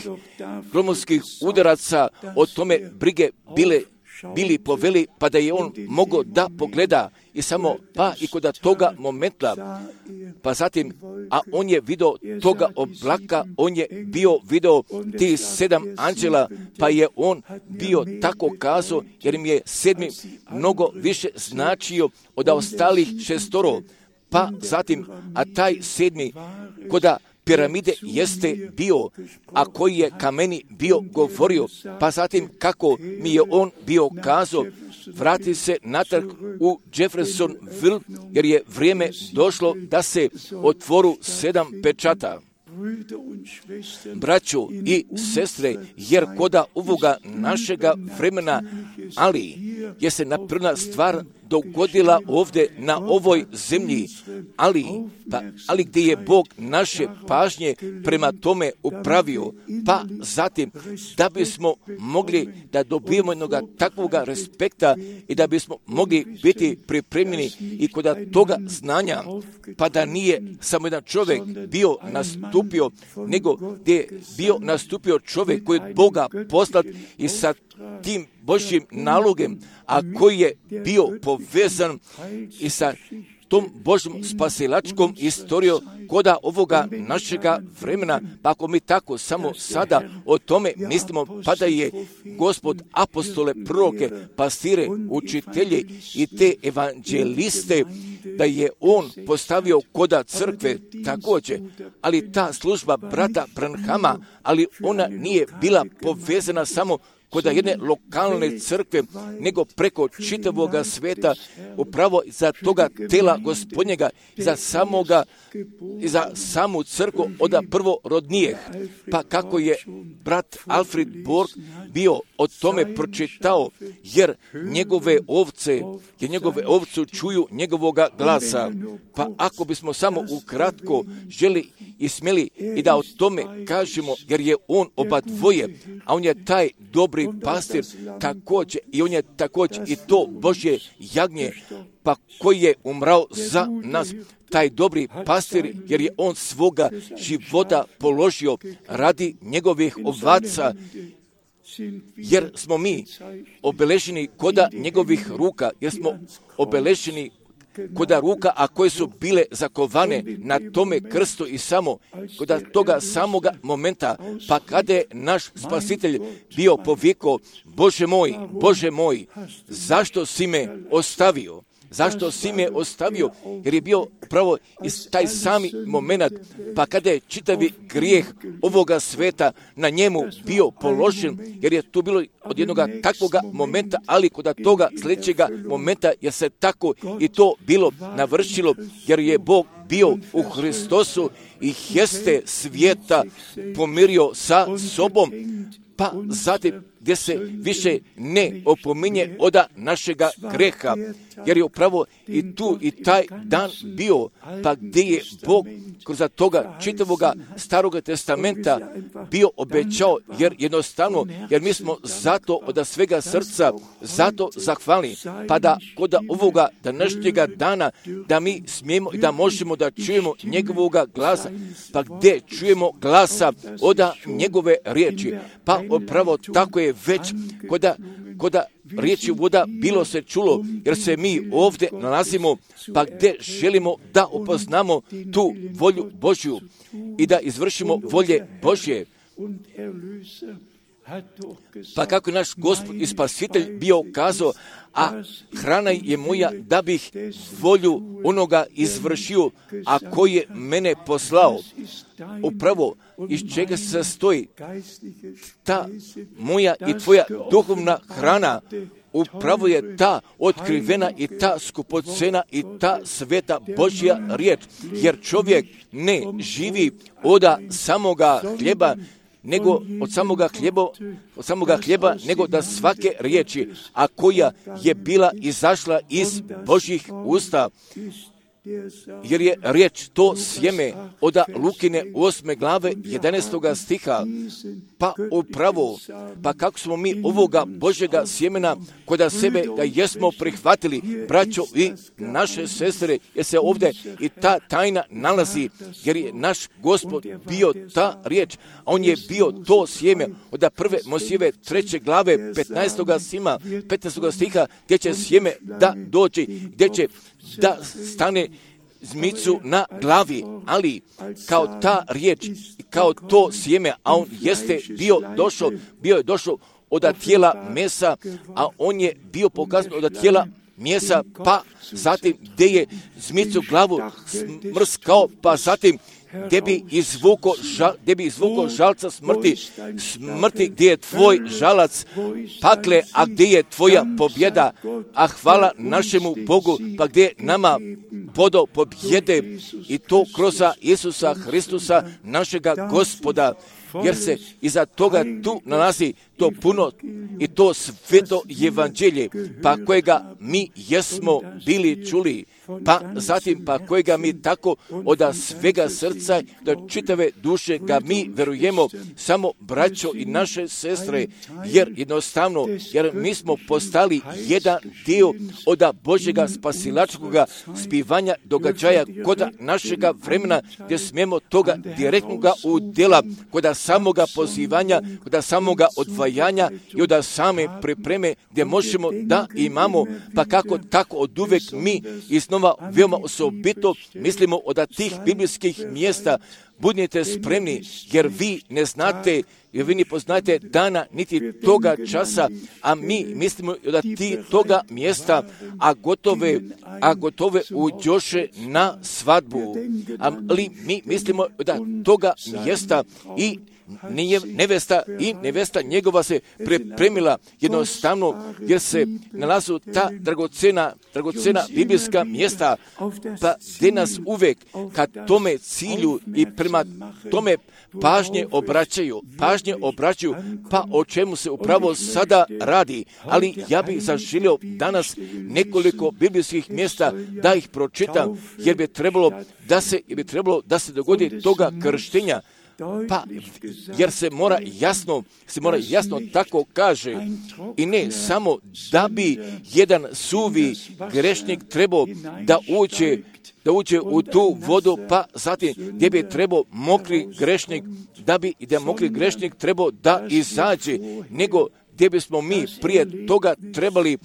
gromovskih udaraca o tome brige bile bili poveli, pa da je on mogao da pogleda i samo, pa i kod toga momenta, pa zatim, a on je video toga oblaka, on je bio video ti sedam anđela, pa je on bio tako kazao, jer im je sedmi mnogo više značio od ostalih šestoro, pa zatim, a taj sedmi koda piramide jeste bio, a koji je kameni bio govorio, pa zatim kako mi je on bio kazao, vrati se natrag u Jeffersonville, jer je vrijeme došlo da se otvoru sedam pečata. Braćo i sestre, jer koda ovoga našega vremena, ali je se naprna stvar dogodila ovdje na ovoj zemlji, ali, pa, ali gdje je Bog naše pažnje prema tome upravio, pa zatim da bismo mogli da dobijemo jednog takvoga respekta i da bismo mogli biti pripremljeni i kod toga znanja, pa da nije samo jedan čovjek bio nastupio, nego gdje je bio nastupio čovjek koji je Boga poslat i sa tim Božjim nalogem, a koji je bio povezan i sa tom Božjom spasilačkom istorijom koda ovoga našega vremena, pa ako mi tako samo sada o tome mislimo, pa da je Gospod apostole, proroke, pastire, učitelje i te evanđeliste, da je on postavio koda crkve također, ali ta služba brata Branhama, ali ona nije bila povezana samo kod jedne lokalne crkve, nego preko čitavoga sveta, upravo za toga tela Gospodnjega, za samoga, za samu crkvu od prvorodnijeh. Pa kako je brat Alfred Borg bio o tome pročitao, jer njegove ovce, jer njegove ovce čuju njegovoga glasa. Pa ako bismo samo ukratko želi i smjeli i da o tome kažemo, jer je on oba dvoje, a on je taj dobri pastir također, i on je također i to Božje jagnje, pa koji je umrao za nas, taj dobri pastir, jer je on svoga života položio radi njegovih ovaca, jer smo mi obeleženi koda njegovih ruka, jer smo obeleženi koda ruka, a koje su bile zakovane na tome krstu i samo koda toga samoga momenta, pa kada je naš spasitelj bio povikao, Bože moj, Bože moj, zašto si me ostavio? Zašto si me ostavio? Jer je bio pravo taj sami moment, pa kada je čitavi grijeh ovoga sveta na njemu bio položen, jer je tu bilo od jednog takvoga momenta, ali kod toga sljedećega momenta je se tako i to bilo navršilo, jer je Bog bio u Hristosu i jeste svijeta pomirio sa sobom, pa zatim gdje se više ne opominje od našega greha, jer je upravo i tu i taj dan bio, pa gdje je Bog kroz toga čitavoga Staroga testamenta bio obećao, jer jednostavno, jer mi smo zato od svega srca zato zahvalni, pa da kod ovoga današnjega dana da mi smijemo i da možemo da čujemo njegovoga glasa, pa gdje čujemo glasa od njegove riječi, pa upravo tako je već koda, koda riječi voda bilo se čulo, jer se mi ovdje nalazimo, pa gdje želimo da upoznamo tu volju Božju i da izvršimo volje Božje. Pa kako je naš Gospod i Spasitelj bio kazao, a hrana je moja da bih volju onoga izvršio, a koji je mene poslao. Upravo iz čega se sastoji ta moja i tvoja duhovna hrana, upravo je ta otkrivena i ta skupocena i ta sveta Božja riječ, jer čovjek ne živi od samoga hljeba, nego od samoga hljeba, od samoga hljeba, nego da svake riječi, a koja je bila izašla iz Božjih usta. Jer je riječ to sjeme od Lukine osme glave jedanaestoga stiha, pa upravo, pa kako smo mi ovoga Božjega sjemena kod sebe ga jesmo prihvatili, braćo i naše sestre, jer se ovdje i ta tajna nalazi, jer je naš Gospod bio ta riječ, a on je bio to sjeme od prve Mojsijeve treće glave petnaestoga sima, petnaestoga stiha, gdje će sjeme da doći, gdje će da stane zmicu na glavi, ali kao ta riječ, kao to sjeme, a on jeste bio došao, bio je došao od tijela mesa, a on je bio pokazan od tijela mjesa, pa zatim gdje je zmicu glavu smrskao, pa zatim gdje bi izvuko, žal, gdje bi izvuko žalca smrti, smrti gdje je tvoj žalac pakle, a gdje je tvoja pobjeda, a hvala našemu Bogu, pa gdje je nama podo pobjede i to kroz Isusa Hristusa, našega Gospoda, jer se iza toga tu nalazi to puno i to sveto evanđelje, pa kojega mi jesmo bili čuli, pa zatim pa kojega mi tako od svega srca do čitave duše ga mi verujemo, samo braćo i naše sestre, jer jednostavno, jer mi smo postali jedan dio od Božjega spasilačkoga spivanja događaja kod našega vremena, gdje smijemo toga direktnoga udjela, kod samoga pozivanja, kod samoga odvajanja i od same pripreme, gdje možemo da imamo, pa kako tako od uvek mi iznova veoma osobito mislimo od tih biblijskih mjesta, budite spremni, jer vi ne znate, jer vi ne poznajete dana niti toga časa, a mi mislimo od ti toga mjesta, a gotove, a gotove uđoše na svadbu. Ali mi mislimo od toga mjesta i nevesta i nevesta njegova se pripremila jednostavno, jer se nalazu ta dragocena, dragocena biblijska mjesta, pa gdje nas uvek ka tome cilju i prema tome pažnje obraćaju, pažnje obraćaju, pa o čemu se upravo sada radi. Ali ja bih zaželio danas nekoliko biblijskih mjesta da ih pročitam, jer bi trebalo da se, jer bi trebalo da se dogodi toga krštenja. Pa, jer se mora jasno, se mora jasno tako kaže, i ne samo da bi jedan suvi grešnik trebao da uđe, da uđe u tu vodu, pa zatim gdje bi trebao mokri grešnik, da bi i da mokri grešnik trebao da izađe, nego gdje bismo mi prije toga trebali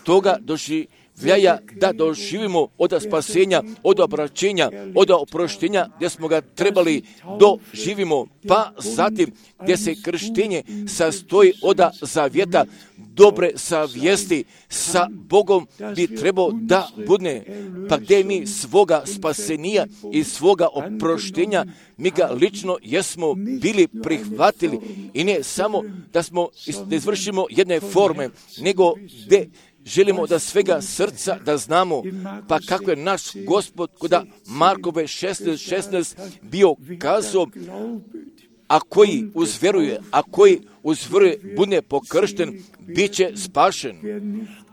toga doći Vljaja da doživimo od spasenja, od obraćenja, od oproštenja, gdje smo ga trebali doživimo, pa zatim gdje se krštenje sastoji od zavjeta, dobre savjesti sa Bogom bi trebao da budne, pa gdje mi svoga spasenija i svoga oproštenja, mi ga lično jesmo bili prihvatili i ne samo da smo da izvršimo jedne forme, nego gdje želimo da svega srca da znamo, pa kako je naš Gospod kod Markove šesnaest šesnaest bio kazao, a koji uzveruje, a koji uzveruje, bude pokršten, bit će spašen.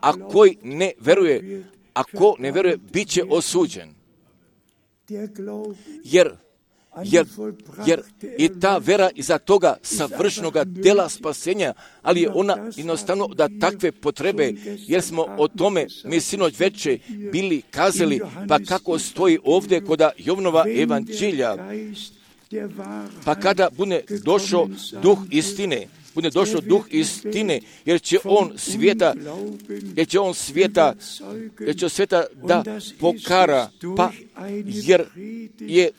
A koji ne veruje, a ko ne veruje, bit će osuđen. Jer Jer, jer i ta vera iza toga savršenoga dela spasenja, ali je ona jednostavno da takve potrebe, jer smo o tome mi sinoć veče bili kazali, pa kako stoji ovdje kod Jovanova evanđelja, pa kada bude došao duh istine, bude došao duh istine, jer će on svijeta, jer će on svijeta, jer će svijeta da pokara, pa jer je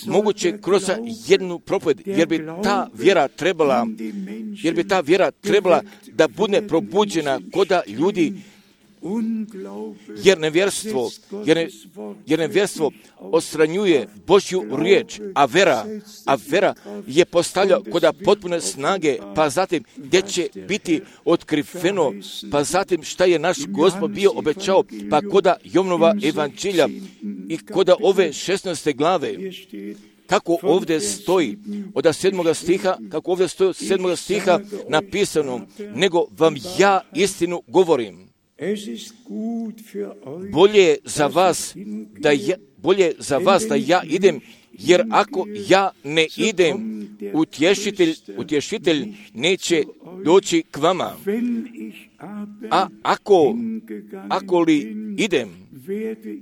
moguće kroz jednu propoved, jer bi ta vjera trebala, jer bi ta vjera trebala da bude probuđena koda ljudi, jer nevjerstvo, jer, ne, jer nevjerstvo odstranjuje Božju riječ, a vera, a vera je postavlja koda potpune snage, pa zatim gdje će biti otkriveno, pa zatim šta je naš Gospod bio obećao, pa koda Jovanova evanđelja i koda ove šesnaeste glave, kako ovdje stoji od sedmoga stiha, kako ovdje stoji od sedmoga stiha napisano, nego vam ja istinu govorim. Bolje je za vas da ja, bolje za vas da ja idem, jer ako ja ne idem, utješitelj, utješitelj neće doći k vama. A ako, ako li idem,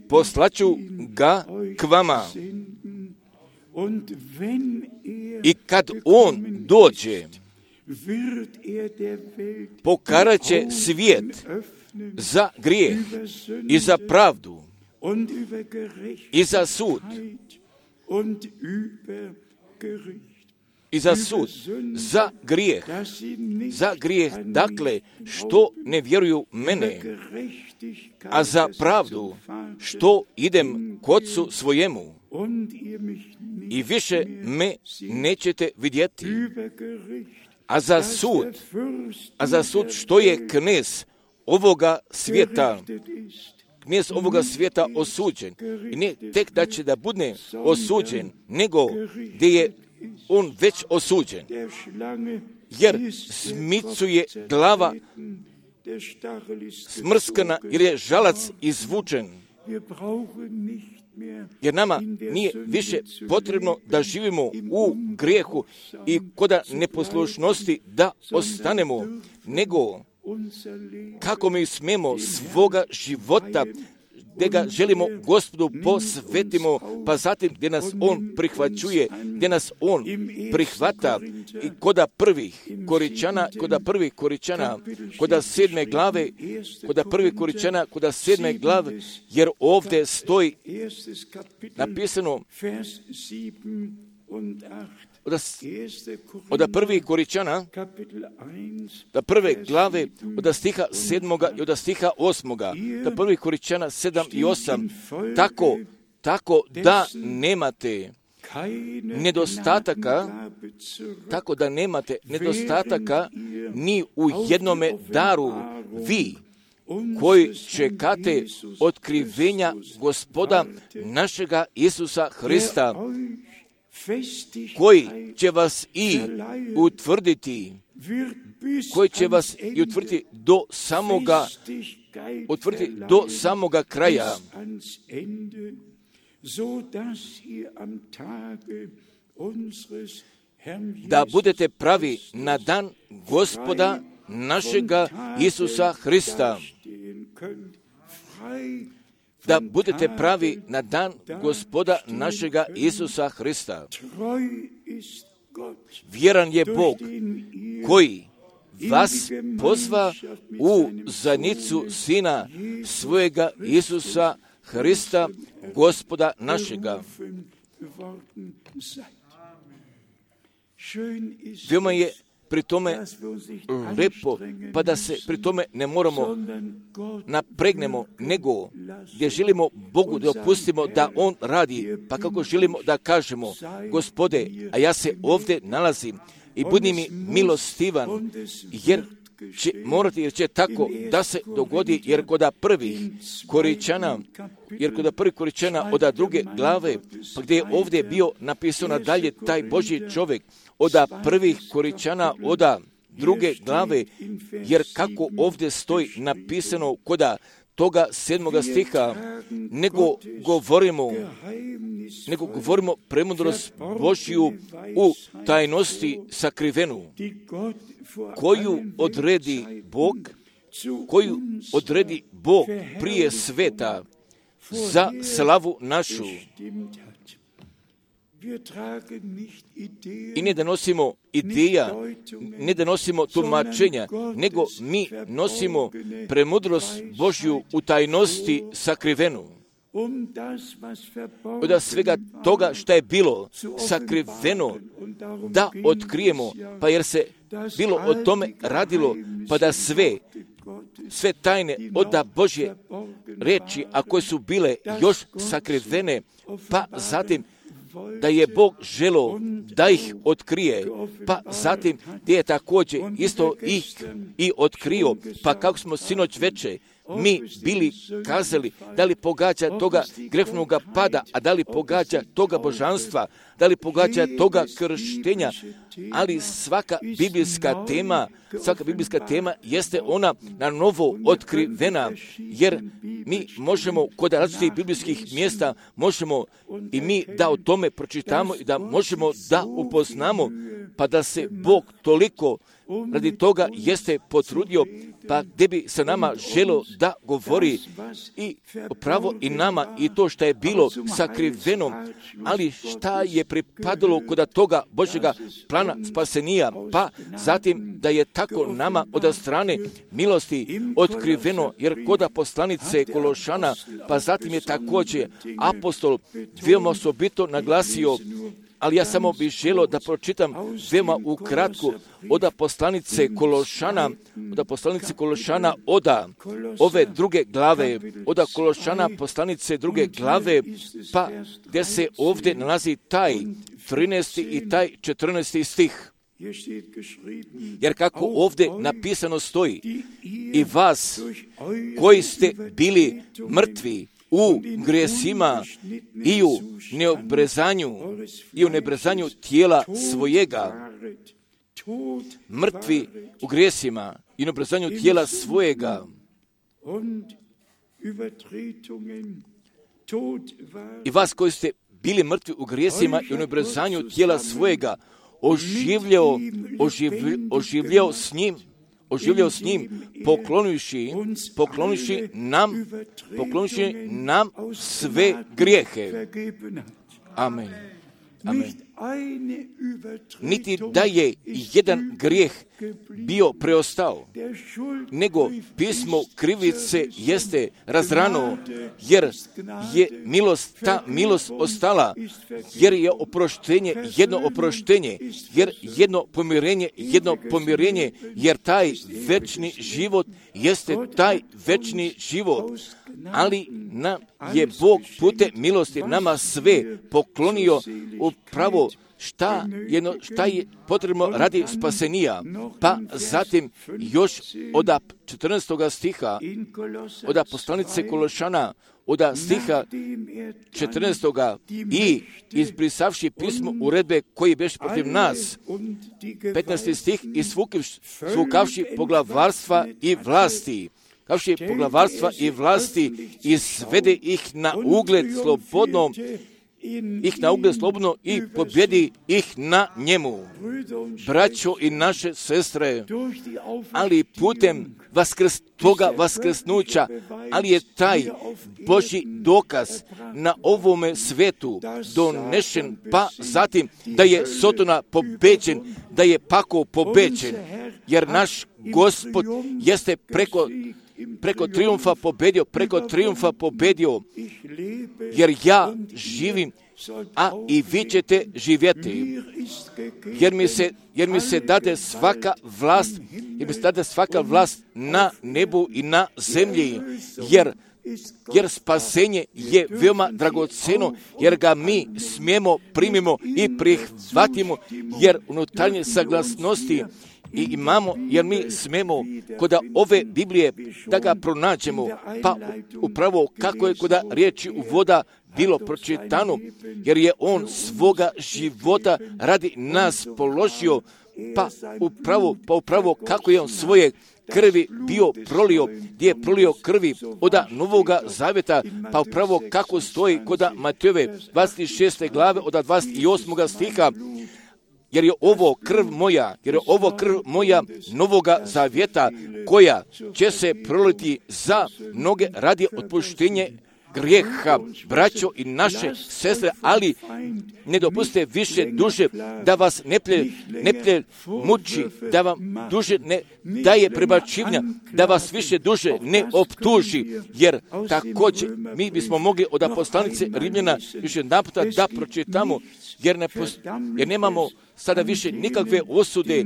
poslaću ga k vama. I kad on dođe, pokarat će svijet za grijeh i za pravdu i za sud i za sud, za grijeh, za grijeh, dakle, što ne vjeruju mene, a za pravdu, što idem k Otcu svojemu i više me nećete vidjeti, a za sud, a za sud, što je knez ovoga svijeta, knez ovoga svijeta osuđen. I ne tek da će da bude osuđen, nego gdje je on već osuđen. Jer zmicu je glava smrskana, jer je žalac izvučen. Jer nama nije više potrebno da živimo u grijehu i koda neposlušnosti da ostanemo, nego kako mi smemo svoga života, gdje ga želimo Gospodu posvetimo, pa zatim gdje nas On prihvaćuje, gdje nas On prihvata i koda prvih Koričana, koda prvih Koričana, koda sedme glave, koda prvih Koričana, koda sedme glave, jer ovdje stoji napisano od, od prvih Koričana, da prve glave, od stiha sedmoga i od stiha osmoga, da prvih Koričana sedam i osam, tako, tako da nemate nedostataka, tako da nemate nedostataka ni u jednome daru, vi koji čekate otkrivenja Gospoda našega Isusa Hrista, koji će vas i utvrditi, koji će vas i utvrditi do samoga, utvrditi do samoga kraja, da budete pravi na dan Gospoda našega Isusa Hrista, da budete pravi na dan Gospoda našega Isusa Hrista. Vjeran je Bog koji vas pozva u zajednicu Sina svojega Isusa Hrista, Gospoda našega. Veoma je pri tome lepo, pa da se pri tome ne moramo napregnemo, nego gdje želimo Bogu da opustimo da On radi, pa kako želimo da kažemo, Gospode, a ja se ovdje nalazim i budi mi milostivan, jer će morati, jer će tako da se dogodi, jer kod prvih Koričana, jer kod prvih Koričana od druge glave, pa gdje je ovdje bio napisano dalje taj Božji čovjek, od prvih Koričana, od druge glave, jer kako ovdje stoji napisano kod toga sedmoga stiha, nego govorimo, nego govorimo premudrost Božju u tajnosti sakrivenu, koju odredi Bog, koju odredi Bog prije sveta za slavu našu. I ne da nosimo ideja, ne da nosimo tumačenja, nego mi nosimo premudrost Božju u tajnosti sakrivenu. Od svega toga što je bilo sakriveno da otkrijemo, pa jer se bilo o tome radilo, pa da sve, sve tajne od Božje reči, a koje su bile još sakrivene, pa zatim da je Bog želo da ih otkrije, pa zatim gdje je također isto ih i otkrio, pa kako smo sinoć veče mi bili kazali, da li pogađa toga grehnoga pada, a da li pogađa toga božanstva, da li pogađa toga krštenja, ali svaka biblijska tema, svaka biblijska tema jeste ona na novo otkrivena, jer mi možemo kod različitih biblijskih mjesta, možemo i mi da o tome pročitamo i da možemo da upoznamo, pa da se Bog toliko radi toga jeste potrudio, pa gdje bi se nama želo da govori i pravo i nama i to što je bilo sakriveno, ali šta je pripadalo kod toga Božjega plana spasenija, pa zatim da je tako nama od strane milosti otkriveno, jer kod poslanice Kološana, pa zatim je također apostol veoma osobito naglasio, ali ja samo bih želio da pročitam veoma ukratko od poslanice Kološana, od poslanice Kološana, od ove druge glave, od Kološana poslanice druge glave, pa gdje se ovdje nalazi taj trinaesti i taj četrnaesti stih. Jer kako ovdje napisano stoji, i vas koji ste bili mrtvi u grijesima i u neobrezanju i u neobrezanju tijela svojega, mrtvi u grijesima i neobrezanju tijela svojega, i vas koji ste bili mrtvi u grijesima i u neobrezanju tijela svojega, oživljao, oživljao, oživljao s njim, oživljao s njim, poklonivši, poklonivši nam, poklonivši nam sve grijehe. Amen. Amen. Niti da je jedan grijeh bio preostao, nego pismo krivice jeste razrano, jer je milost, ta milost ostala, jer je oproštenje, jedno oproštenje, jer jedno pomirenje, jedno pomirenje, jer taj večni život jeste taj večni život, ali nam je Bog putem milosti nama sve poklonio upravo šta, jedno, šta je potrebno radi spasenija. Pa zatim još od četrnaestog stiha, od poslanice Kološana, od stiha četrnaestog i izbrisavši pismo uredbe koji beše protiv nas, petnaesti stih, i svukavši poglavarstva i vlasti, kavši poglavarstva i vlasti, izvede ih na ugled slobodno, ih na ugled slobodno i pobjedi ih na njemu. Braćo i naše sestre, ali putem vaskrs, toga vaskrsnuća, ali je taj Božji dokaz na ovome svetu donešen, pa zatim da je Sotona pobeđen, da je pakao pobeđen, jer naš Gospod jeste preko preko triumfa pobedio, preko triumfa pobedio, jer ja živim, a i vi ćete živjeti, jer mi se, jer mi se dade svaka vlast, jer mi se dade svaka vlast na nebu i na zemlji, jer jer spasenje je veoma dragoceno, jer ga mi smijemo, primimo i prihvatimo, jer unutarnje saglasnosti i imamo, jer mi smemo kod ove Biblije da ga pronađemo, pa upravo kako je kod riječi uvoda bilo pročitano, jer je on svoga života radi nas položio, pa upravo, pa upravo kako je on svoje krvi bio prolio, gdje je prolio krvi od Novoga Zavjeta, pa upravo kako stoji kod Matejove dvadeset šeste glave od dvadeset osmog stiha, jer je ovo krv moja, jer je ovo krv moja Novoga Zavjeta, koja će se proliti za mnoge radi otpuštenje grijeha, braćo i naše sestre, ali ne dopustite više duše da vas neplje, neplje muči, da vam duže ne daje prebačivanja, da vas više duže ne optuži, jer također mi bismo mogli od poslanice Rimljana više naputa da pročitamo, jer, ne post, jer nemamo sada više nikakve osude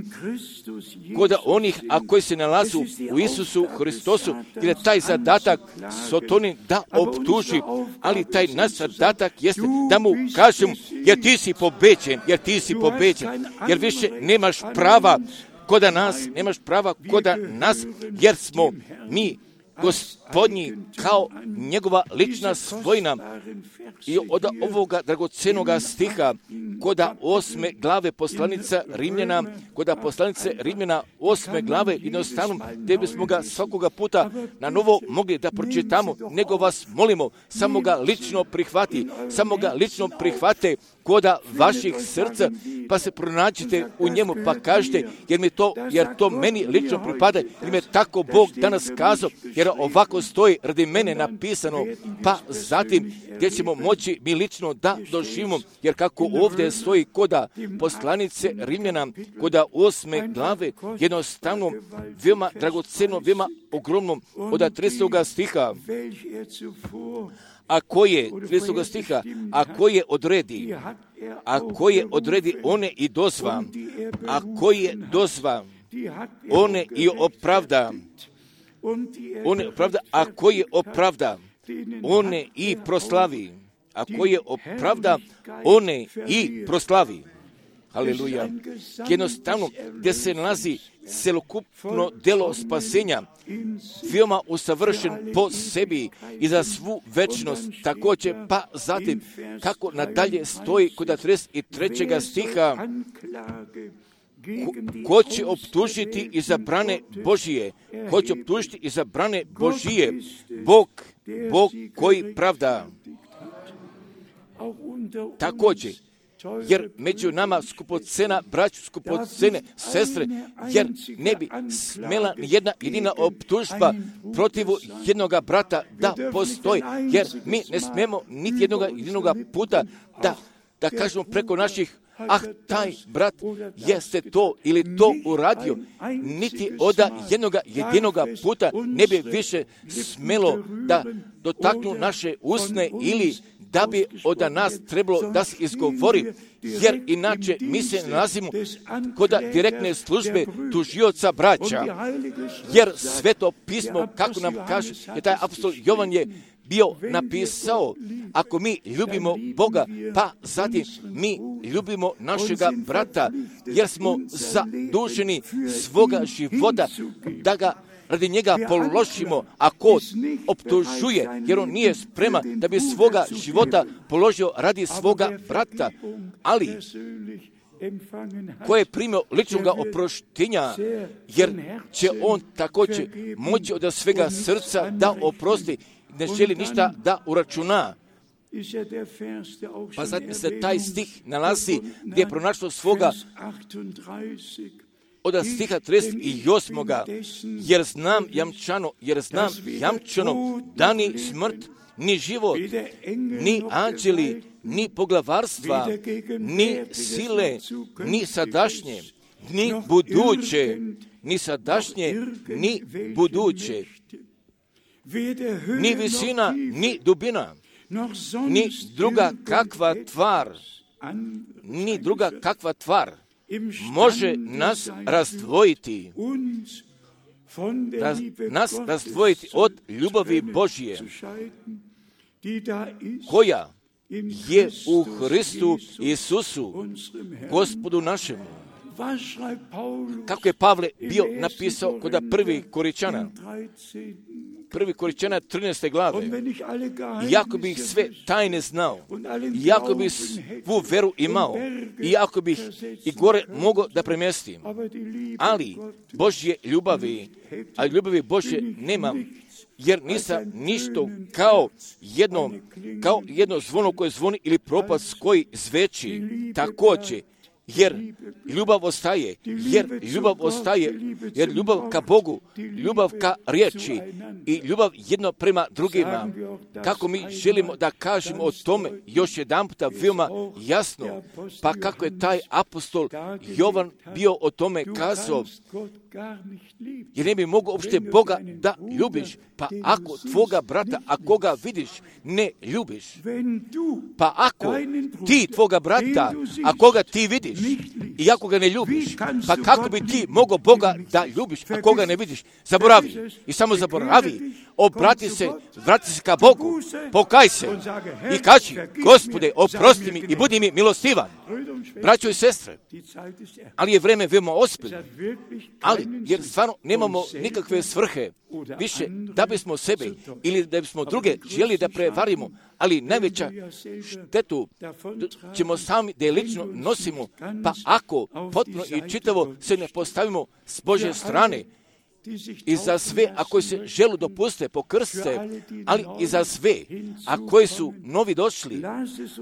kod onih, a koji se nalazu u Isusu Hristosu, jer je taj zadatak Sotoni da optuži, ali taj naš zadatak jeste da mu kažem, jer ti si pobeđen, jer ti si pobeđen, jer više nemaš prava kod nas, nemaš prava kod nas, jer smo mi Gospodnji kao njegova lična svojina. I od ovoga dragocenoga stiha kod osme glave poslanica Rimljana, kod poslanice Rimljana osme glave, jednostavno gdje bismo ga svakoga puta na novo mogli da pročitamo, nego vas molimo, samo ga lično prihvati, samo ga lično prihvate kod vaših srca, pa se pronađite u njemu, pa kažete, jer mi to, jer to meni lično pripada, jer mi je tako Bog danas kazao, jer ovako stoji radi mene napisano, pa zatim gdje ćemo moći mi lično da doživimo, jer kako ovdje stoji koda poslanice Rimljana, koda osme glave, jednostavno, veoma dragoceno, veoma ogromno, od tridesetog stiha, a koje, tridesetog stiha, a koje odredi, a koje odredi one i dozva, a koje dozva, one i opravda, one opravda, a koje opravda, one i proslavi, a koje opravda, one i proslavi. Haleluja. Jednostavno, gdje se nalazi celokupno delo spasenja, veoma usavršen po sebi i za svu večnost, također, pa zatim, kako nadalje stoji kod trideset trećeg stiha, Ko, ko će optužiti izabrane Božije? Ko će optužiti izabrane Božije? Bog, Bog koji pravda. Također, jer među nama skupocena braću, skupocene sestre, jer ne bi smela ni jedna jedina optužba protiv jednoga brata da postoji, jer mi ne smemo niti jednoga jedinoga puta da, da kažemo preko naših ah, taj brat jeste to ili to uradio, niti od jednoga jedinoga puta ne bi više smelo da dotaknu naše usne ili da bi od nas trebalo da se izgovori, jer inače mi se nalazimo kod direktne službe tužioca braća, jer Sveto pismo, kako nam kaže, je taj apostol Jovan je bio napisao, ako mi ljubimo Boga, pa zatim mi ljubimo našega brata, jer smo zaduženi svoga života da ga radi njega položimo, a ko optužuje, jer on nije spreman da bi svoga života položio radi svoga brata, ali ko je primio ličnoga oproštenja, jer će on također moći od svega srca da oprosti, ne želi ništa da uračuna. Pa zatim se taj stih nalazi gdje je pronašao svoga od stiha trideset osmog jer znam jamčano, jer znam jamčano da ni smrt, ni život, ni anđeli, ni poglavarstva, ni sile, ni sadašnje, ni buduće, ni sadašnje, ni buduće, ni visina, ni dubina, ni druga kakva tvar, ni druga kakva tvar može nas razdvojiti, raz, nas razdvojiti od ljubavi Božije, koja je u Hristu Isusu, Gospodu našemu. Kako je Pavle bio napisao kod prvi Koričana, prvi Koričana trinaeste glave, iako bih sve tajne znao, iako bih svu veru imao, iako bih i gore mogao da premjestim, ali Božje ljubavi, a ljubavi Božje nemam, jer nisam ništo kao jedno, kao jedno zvono koje zvoni ili propast koji zveči, također, jer ljubav ostaje, jer ljubav ostaje, jer ljubav ka Bogu, ljubav ka riječi i ljubav jedno prema drugima. Kako mi želimo da kažemo o tome još jedan puta veoma jasno, pa kako je taj apostol Jovan bio o tome kazao, jer ne bi mogao uopšte Boga da ljubiš, pa ako tvoga brata, ako ga vidiš, ne ljubiš, pa ako ti tvoga brata, ako ga ti vidiš, i ako ga ne ljubiš, pa kako bi ti mogao Boga da ljubiš, ako ga ne vidiš? Zaboravi. I samo zaboravi. Obrati se, vrati se ka Bogu, pokaj se i kaži, Gospode, oprosti mi i budi mi milostivan. Braćo i sestre, ali je vreme veoma ozbiljno, ali jer stvarno nemamo nikakve svrhe više da bismo sebe ili da bismo druge želi da prevarimo, ali najveća štetu ćemo sami da je lično nosimo, pa ako potpuno i čitavo se ne postavimo s Božje strane, i za sve, a koji se želu dopuste, pokrste, ali i za sve, a koji su novi došli,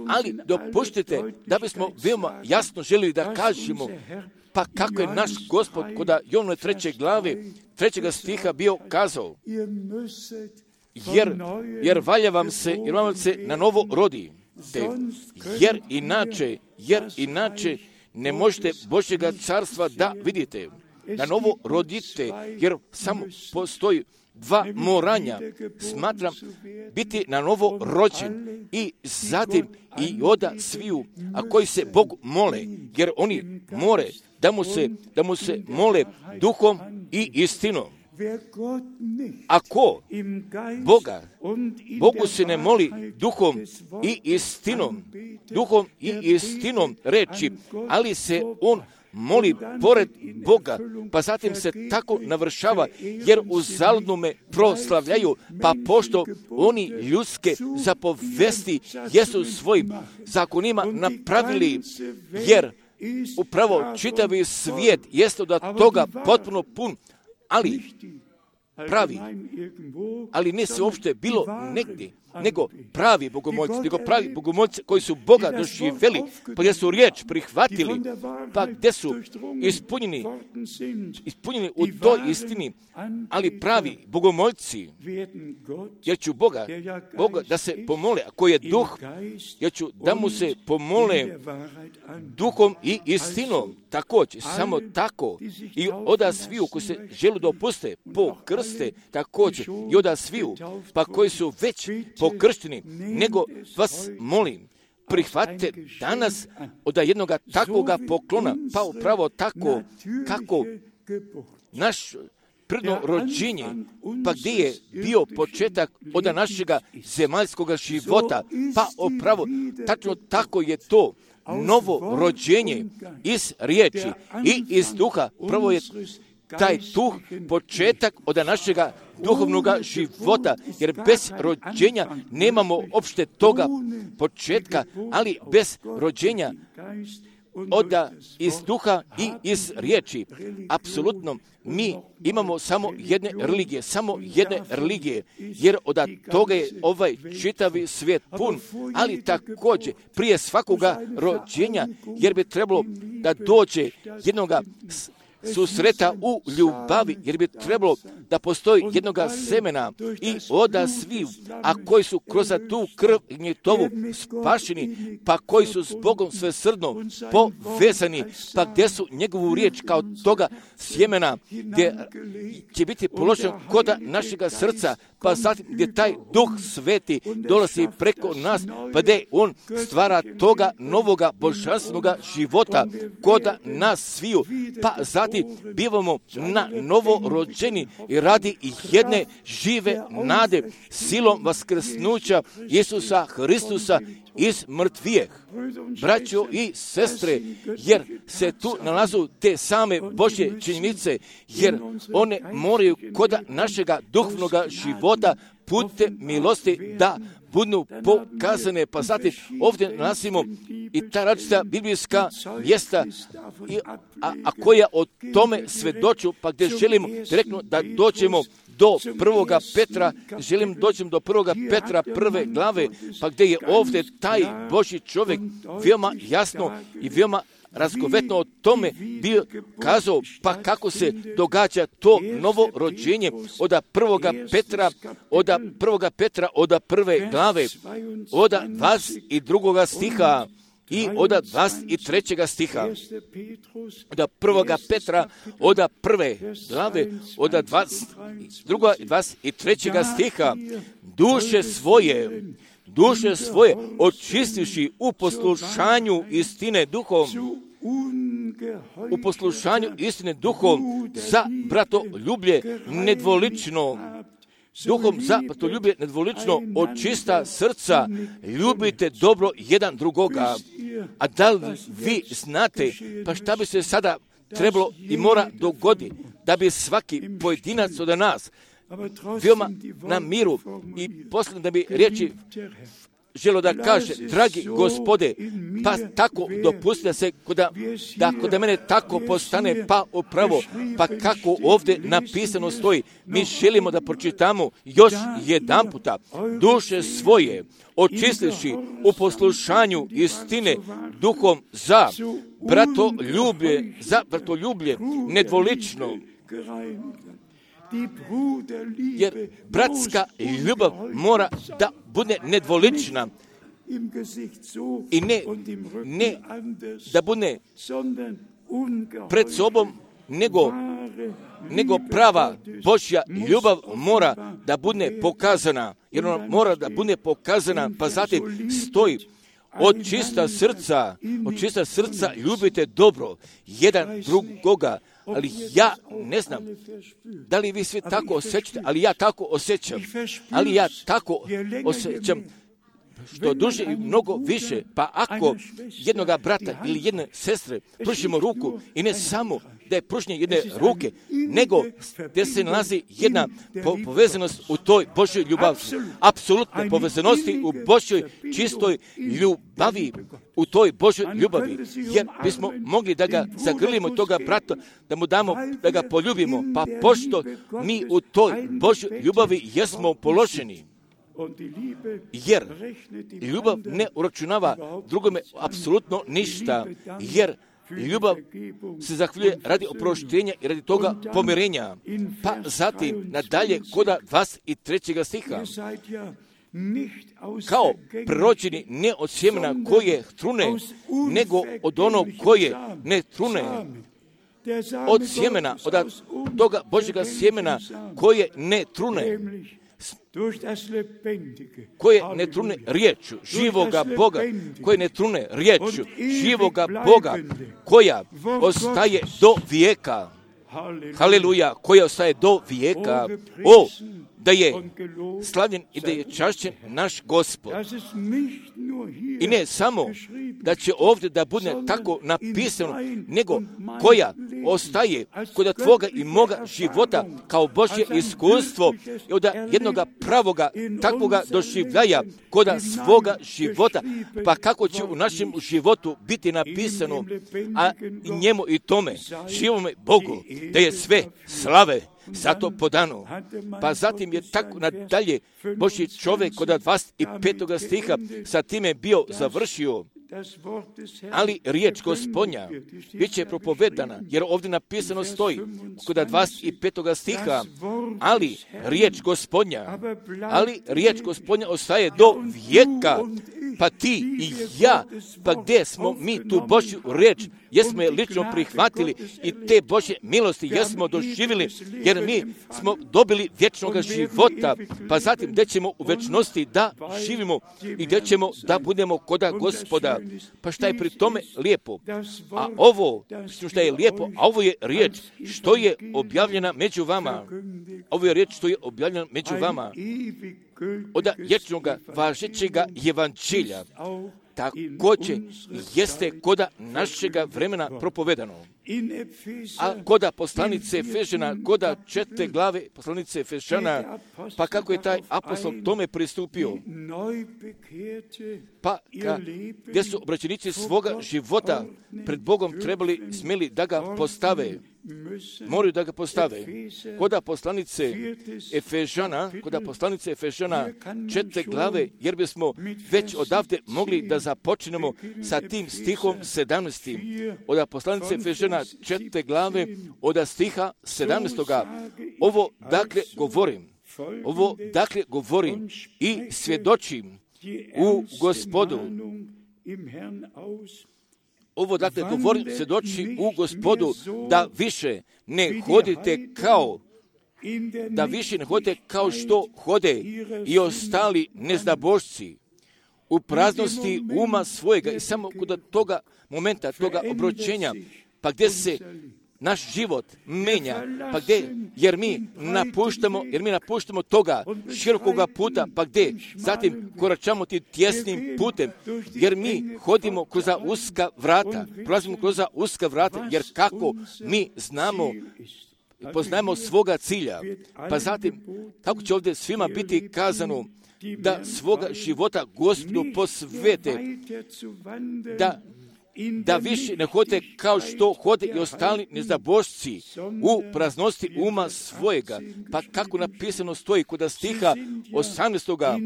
ali dopuštite da bismo veoma jasno želili da kažemo, pa kako je naš Gospod kod Jovnove treće glave, trećega stiha bio kazao, jer, jer valja vam se, jer vam se na novo rodi, te, jer inače, jer inače ne možete Božjega carstva da vidite. Na novo rodite, jer samo postoji dva moranja. Smatram biti na novo rođen i zatim i oda sviju, a koji se Bogu mole, jer oni more da mu se, da mu se mole duhom i istinom. Ako Boga, Bogu se ne moli duhom i istinom, duhom i istinom reči, ali se on moli pored Boga, pa zatim se tako navršava, jer uzaludno me proslavljaju, pa pošto oni ljudske zapovesti jesu svojim zakonima napravili, jer upravo čitavi svijet jeste od toga potpuno pun, ali pravi, ali ne se uopšte bilo negdje, nego pravi bogomolci, nego pravi bogomolci koji su Boga doživjeli, pa gdje su riječ prihvatili, pa gdje su ispunjeni, ispunjeni u toj istini, ali pravi bogomolci, jer ću Boga, Boga da se pomole, a koji je duh, jer ću da mu se pomole duhom i istinom, također, samo tako, i oda sviju koji se želu da opuste po krste, također, i oda sviju, pa koji su već pokršteni, nego vas molim, prihvatite danas od jednoga takvoga poklona, pa upravo tako, kako naš prirodno rođenje, pa gdje je bio početak od našega zemaljskog života, pa upravo tačno tako je to novo rođenje iz riječi i iz duha. Prvo je taj duh početak od našega duhovnog života, jer bez rođenja nemamo opšte toga početka, ali bez rođenja od iz duha i iz riječi. Apsolutno, mi imamo samo jedne religije, samo jedne religije, jer od toga je ovaj čitavi svijet pun, ali također prije svakoga rođenja, jer bi trebalo da dođe jednoga susreta u ljubavi, jer bi trebalo da postoji jednoga semena i oda sviju, a koji su kroz tu krv i njetovu spašeni, pa koji su s Bogom svesrdno povezani, pa gdje su njegovu riječ kao toga sjemena, gdje će biti položen koda našega srca, pa zatim gdje taj duh sveti dolazi preko nas, pa gdje on stvara toga novoga božanstvenoga života koda nas sviju, pa zatim bivamo na novo rođeni, jer radi jedne žive nade silom vaskrsnuća Isusa Hristusa iz mrtvijeh. Braćo i sestre, jer se tu nalazu te same Božje činjenice, jer one moraju kod našega duhovnoga života putem milosti da budu pokazane. Pa zatim ovdje nalazimo i ta različita biblijska mjesta, i, a, a koja o tome svedoču, pa gdje želimo direktno da dođemo do prvoga Petra, želim doći do prvoga Petra prve glave, pa gdje je ovdje taj Božji čovjek veoma jasno i veoma razgovetno o tome bio kazao, pa kako se događa to novo rođenje od prvoga Petra, od prvoga Petra, od prve glave, od dvadeset drugoga stiha i od dvadeset trećega stiha. Od prvoga Petra, od prve glave, od dvadeset drugog i dvadeset trećega stiha, duše svoje, duše svoje očistivši u poslušanju istine duhom, u poslušanju istine duhom za bratoljublje nedvolično, duhom za bratoljublje nedvolično očista srca, ljubite dobro jedan drugoga. A da li vi znate, pa šta bi se sada trebalo i mora dogoditi, da bi svaki pojedinac od nas veoma na miru i posljedno da bi riječi želo da kaže, dragi Gospode, pa tako dopusti da se koda, da kod mene tako postane pa upravo, pa kako ovdje napisano stoji, mi želimo da pročitamo još jedan puta, duše svoje očistivši u poslušanju istine duhom za bratoljublje, za bratoljublje nedvolično. Jer bratska ljubav mora da bude nedvolična i ne, ne da bude pred sobom, nego, nego prava Božja ljubav mora da bude pokazana, jer ona mora da bude pokazana, pa zatim stoji od čista srca, od čista srca ljubite dobro jedan drugoga. Ali ja ne znam da li vi svi tako osjećate, ali ja tako osjećam, ali ja tako osjećam što duže i mnogo više, pa ako jednoga brata ili jedne sestre pružimo ruku i ne samo da je pružnje jedne ruke, nego gdje se nalazi jedna po- povezanost u toj Božjoj ljubavi, apsolutne povezanosti u Božjoj čistoj ljubavi, u toj Božjoj ljubavi, jer bismo mogli da ga zagrlimo toga brata, da mu damo, da ga poljubimo, pa pošto mi u toj Božjoj ljubavi jesmo položeni. Jer ljubav ne uračunava drugome apsolutno ništa, jer ljubav se zahvaljuje radi oproštenja i radi toga pomirenja. Pa zatim nadalje koda dvadeset trećega stiha. Kao prorođeni ne od sjemena koje trune, nego od onog koje ne trune. Od sjemena, od toga Božjega sjemena koje ne trune, koje ne trune riječu živoga Boga, koje ne trune riječu živoga Boga, koja ostaje do vijeka. Haleluja, koja ostaje do vijeka. O, da je slavljen i da je čašćen naš Gospod. I ne samo da će ovdje da bude tako napisano, nego koja ostaje kod tvoga i moga života kao Božje iskustvo i od jednoga pravoga takvoga doživljaja kod svoga života, pa kako će u našem životu biti napisano, a njemu i tome, živome Bogu, da je sve slave zato podano. Pa zatim je tako nadalje Božji čovjek kod dvadeset petog stiha sa time bio završio. Ali riječ Gospodnja bit će propovedana, jer ovdje napisano stoji kod dvadeset petog stiha, ali riječ Gospodnja, ali riječ Gospodnja ostaje do vijeka pa ti i ja, pa gdje smo mi tu Božju riječ, jesmo je lično prihvatili i te Božje milosti jesmo doživjeli, jer mi smo dobili vječnog života, pa zatim gdje ćemo u vječnosti da živimo i gdje ćemo da budemo koda Gospoda. Pa šta je pri tome lijepo? A ovo, što je lijepo, a ovo je riječ što je objavljena među vama. Ovo je riječ što je objavljena među vama. Od vječnoga važećega evanđelja. Također jeste koda našega vremena propovedano. A koda poslanice Efežana, koda četvrte glave poslanice Efežana, pa kako je taj apostol tome pristupio? Pa ka, gdje su obraćenici svoga života pred Bogom trebali, smjeli da ga postave. Moraju da ga postave. Koda poslanice Efežana, koda poslanice Efežana četvrte glave, jer bismo već odavde mogli da započnemo sa tim stihom sedamnaestim. Od poslanice Efežana četvrte glave, od stiha sedamnaestoga. Ovo dakle govorim, ovo dakle govorim i svjedočim u Gospodu. Ovo dakle govorim, svjedoči u Gospodu, da više ne hodite kao, da više ne hodite kao što hode i ostali nezdabošci u praznosti uma svojega. I samo kod toga momenta, toga obročenja, pa gdje se naš život menja, pa gdje, jer mi napuštamo, jer mi napuštamo toga širokoga puta, pa gdje, zatim koračamo tim tjesnim putem, jer mi hodimo kroz uska vrata, prolazimo kroz uska vrata, jer kako mi znamo, poznajemo svoga cilja, pa zatim, kako će ovdje svima biti kazano, da svoga života Gospodu posvete, da da više ne hode kao što hode i ostali nezabošci u praznosti uma svojega. Pa kako napisano stoji kod stiha osamnaestoga,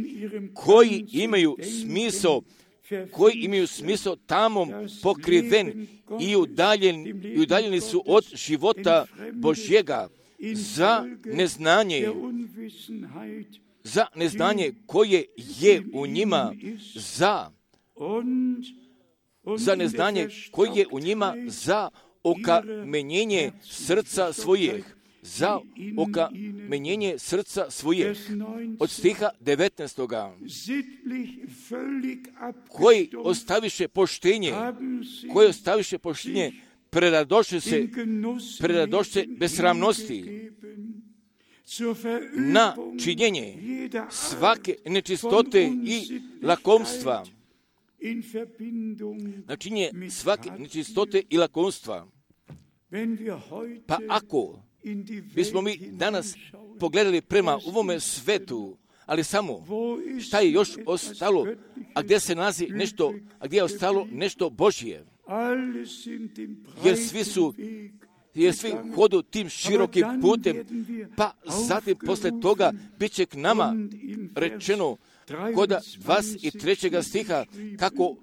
koji imaju smisao, koji imaju smisao tamom pokriven i udaljeni, i udaljeni su od života Božjega za neznanje, za neznanje koje je u njima, za za neznanje koje je u njima, za okamenjenje srca svojih, za okamenjenje srca svojih. Od stiha devetnaestoga, koji ostaviše poštenje, koji ostaviše poštenje, preradoše se, preradoše besramnosti, na činjenje svake nečistote i lakomstva, na činjenje svake nečistote i lakomstva. Pa ako bismo mi danas pogledali prema ovome svetu, ali samo šta je još ostalo, a gdje se nalazi nešto, a gdje je ostalo nešto Božje, jer svi su jer svi hodu tim širokim putem, pa zatim posle toga bit će k nama rečeno koda dvadeset trećeg stiha, kako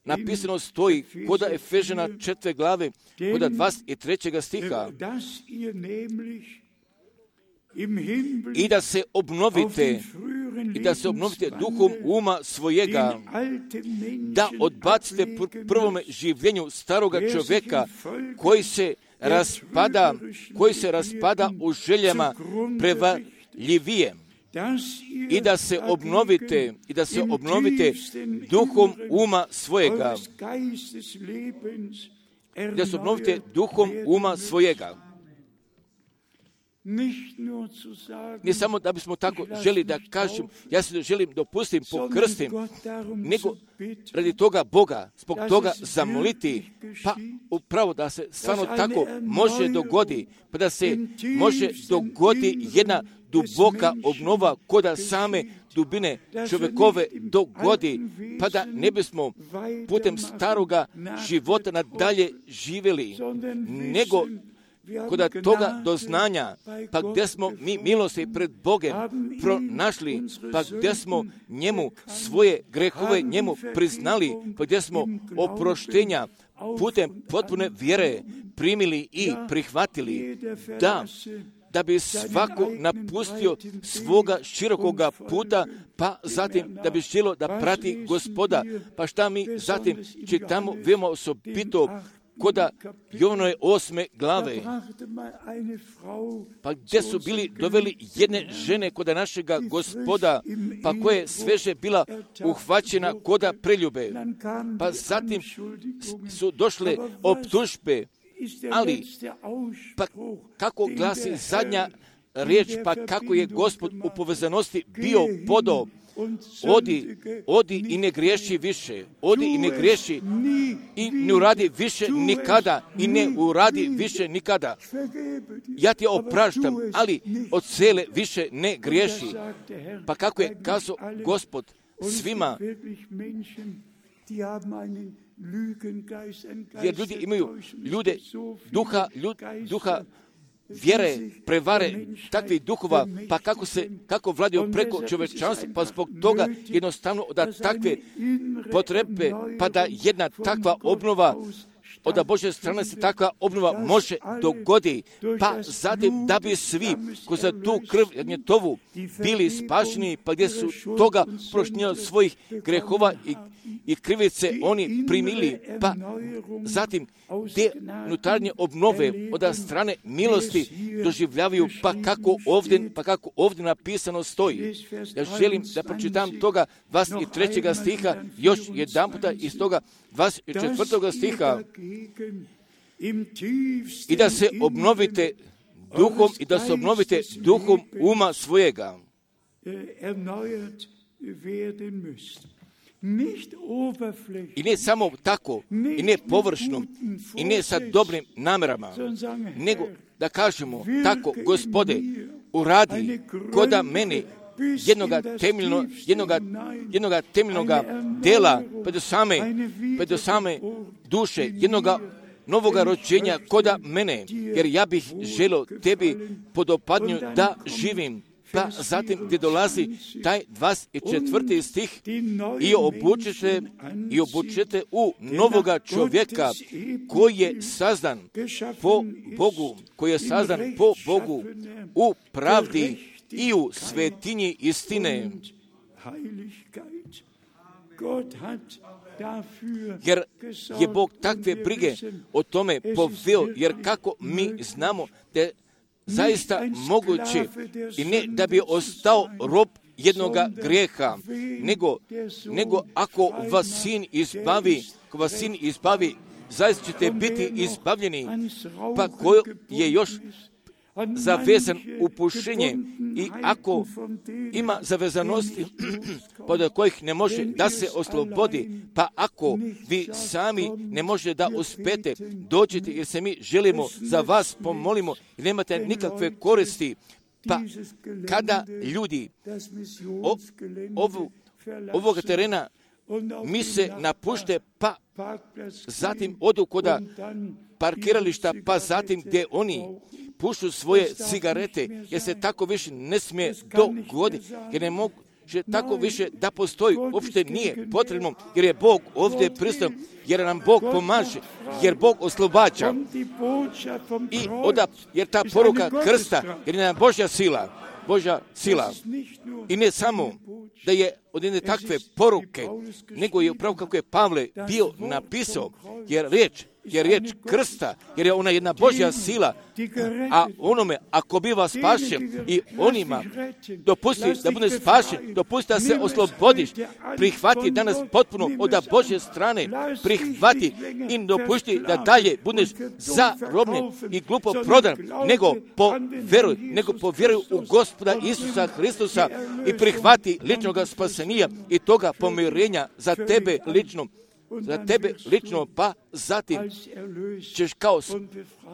napisano stoji koda Efežana četvrte glave, koda dvadeset trećeg stiha, i da se obnovite, i da se obnovite duhom uma svojega, da odbacite pr- prvome življenju staroga čovjeka koji se raspada, koji se raspada u željama prevarljivije, i da se obnovite, i da se obnovite duhom uma svojega, da se obnovite duhom uma svojega. Ne samo da bismo tako želi da kažem, ja se želim dopustim, pokrstim, nego radi toga Boga, zbog toga zamoliti, pa upravo da se stvarno tako može dogodi, pa da se može dogodi jedna duboka obnova koda same dubine čovjekove dogodi, pa da ne bismo putem staroga života nadalje živjeli, nego koda toga doznanja, pa gdje smo mi milosti pred Bogem pronašli, pa gdje smo njemu svoje grehove njemu priznali, pa gdje smo oproštenja putem potpune vjere primili i prihvatili, da da bi svako napustio svoga širokoga puta, pa zatim da bi želio da prati Gospoda. Pa šta mi zatim čitamo veoma osobito koda Jovanove osme glave, pa gdje su bili doveli jedne žene koda našega Gospoda, pa koja je sveže bila uhvaćena koda preljube. Pa zatim su došle optužbe, ali pa kako glasi zadnja riječ, pa kako je Gospod u povezanosti bio podao, odi, odi i ne griješi više, odi i ne griješi i ne uradi više nikada i ne uradi više nikada. Ja ti opraštam, ali od cele više ne griješi. Pa kako je kazao Gospod svima, jer ljudi imaju ljude duha, ljud, duha vjere, prevare, takvih duhova, pa kako se, kako vladaju preko čovječanstva, pa zbog toga jednostavno da takve potrebe, pa da jedna takva obnova, od Božje strane se takva obnova može dogodi, pa zatim da bi svi koji za tu krv jagnjetovu bili spašeni, pa gdje su toga prošnja svojih grehova i, i krivice oni primili, pa zatim te unutarnje obnove od strane milosti doživljavaju, pa kako ovdje, pa kako ovdje napisano stoji. Ja želim da pročitam toga dvadeset trećeg stiha još jedan puta iz toga dvadeset četvrtog stiha, i da se obnovite duhom i da se obnovite duhom uma svojega. I ne samo tako, i ne površno, i ne sa dobrim namerama, nego da kažemo tako, Gospode, uradi koda meni jednoga temeljno, jednoga, jednoga temeljnoga dela, pa do same, pa do same duše, jednoga novoga rođenja koda mene, jer ja bih želio tebi podopadnju da živim. Pa zatim gdje dolazi taj dvadeset četvrti stih, i obučete, i obučete u novoga čovjeka koji je sazdan po Bogu, koji je sazdan po Bogu u pravdi i u svetinji istine. Jer je Bog takve brige o tome poveo, jer kako mi znamo da je zaista moguće, i ne da bi ostao rob jednoga grijeha, nego, nego ako vas sin izbavi, ako vas sin izbavi, zaista ćete biti izbavljeni, pa ko je još zavezan u pušenje, i ako ima zavezanosti pod kojih ne može da se oslobodi, pa ako vi sami ne možete da uspete, dođite, jer se mi želimo za vas pomolimo i nemate nikakve koristi, pa kada ljudi o, ovu, ovoga terena mi se napušte, pa zatim odu koda parkirališta, pa zatim gdje oni pušu svoje cigarete, jer se tako više ne smije dogoditi, jer ne mogu tako više da postoji, uopšte nije potrebno, jer je Bog ovdje prisutan, jer nam Bog pomaže, jer Bog oslobađa. I oda, jer ta poruka krsta, jer je nam Božja sila, Božja sila. I ne samo da je od jedne takve poruke, nego je upravo kako je Pavle bio napisao, jer riječ, jer riječ krsta, jer je ona jedna Božja sila, a onome, ako biva spašen i onima dopusti da bude spašen, dopusti da se oslobodiš, prihvati danas potpuno od Božje strane, prihvati i dopusti da dalje budeš zarobljen i glupo prodan, nego povjeruj, nego povjeruj u Gospoda Isusa Hristusa i prihvati ličnoga spasenija i toga pomirenja za tebe lično, za tebe lično, pa zatim ćeš kao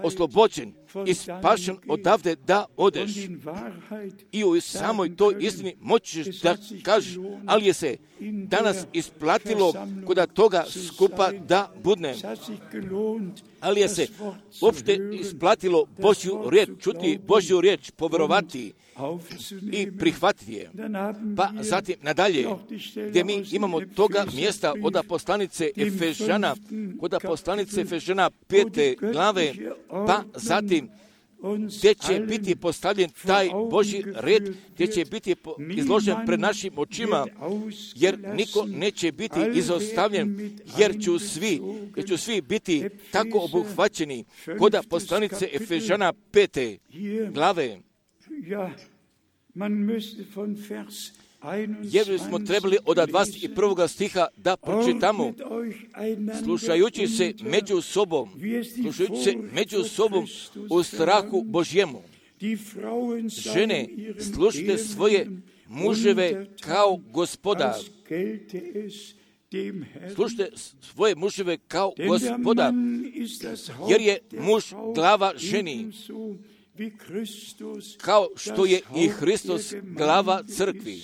oslobođen i spašen odavde da odeš. I u samoj toj istini moćeš da kažeš, ali je se danas isplatilo koda toga skupa da budne. Ali je se uopšte isplatilo Božju riječ, čuti Božju riječ, povjerovati i prihvatiti je. Pa zatim nadalje, gdje mi imamo toga mjesta od poslanice Efežana, kod poslanice Efežana pete glave, pa zatim gdje će biti postavljen taj Božji red, gdje će biti izložen pred našim očima, jer niko neće biti izostavljen, jer ću svi, jer ću svi biti tako obuhvaćeni, koda poslanice Efežana pete glave. Jer smo trebali od dvadeset prvog stiha da pročitamo, slušajući se među sobom, slušajući se među sobom u strahu Božjemu. Žene, slušajte svoje muževe kao Gospoda. Slušajte svoje muževe kao Gospoda, jer je muž glava ženi, kao što je i Hristos glava crkvi.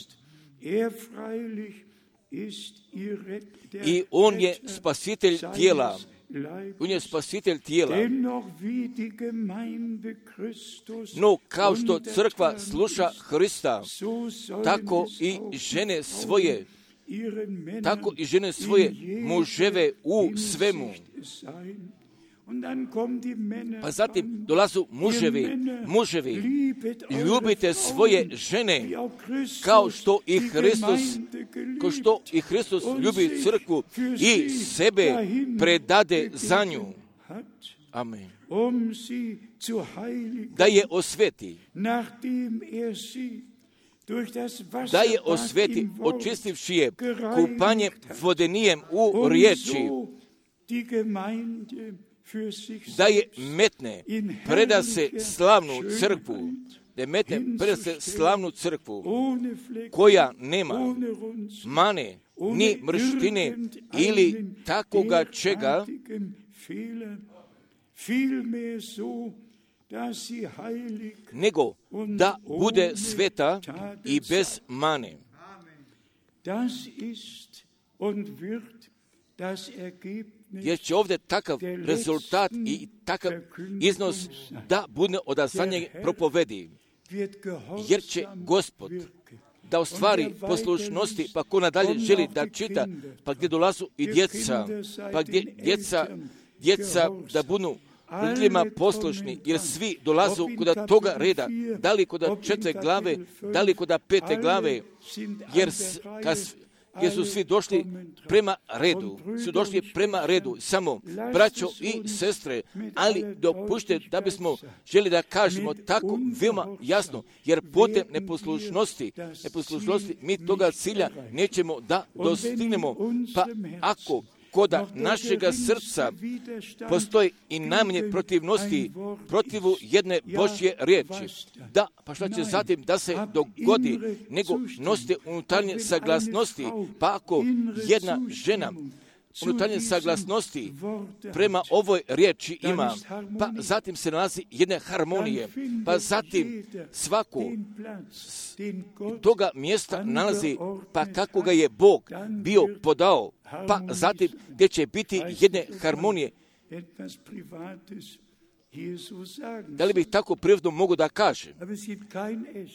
I on je spasitelj tijela. On je spasitelj tijela. No, kao što crkva sluša Hrista, tako i žene svoje, tako i žene svoje muževe u svemu. Pa zatim dolazu muževi, muževi, ljubite svoje žene, kao što i Hristos, kao što i Hristos ljubi crkvu i sebe predade za nju. Amen. Da je osveti, da je osveti, očistivši je kupanjem vodenijem u riječi, da je metne, preda se slavnu crkvu, da je metne, preda se slavnu crkvu, koja nema mane, ni mrštine, ili takoga čega, nego da bude sveta i bez mane. Jer će ovdje takav rezultat i takav iznos da bude od zadnjeg propovedi. Jer će Gospod da ostvari poslušnosti, pa ko nadalje želi da čita, pa gdje dolazu i djeca, pa gdje djeca, djeca da budu roditeljima poslušni, jer svi dolazu kod toga reda, da li kod četiri glave, da li kod pete glave, jer kad jer su svi došli prema redu, su došli prema redu, samo braćo i sestre, ali dopušte da bismo želi da kažemo tako veoma jasno, jer putem neposlušnosti, neposlušnosti mi toga cilja nećemo da dostignemo, pa ako koda našega srca postoji i najmanje protivnosti protivu jedne Božje riječi. Da, pa šta će zatim da se dogodi, nego nosite unutarnje saglasnosti, pa ako jedna žena unutarnje saglasnosti prema ovoj riječi ima, pa zatim se nalazi jedne harmonije, pa zatim svako toga mjesta nalazi, pa kako ga je Bog bio podao, pa zatim gdje će biti jedne harmonije. Da li bih tako prirodno mogu da kažem?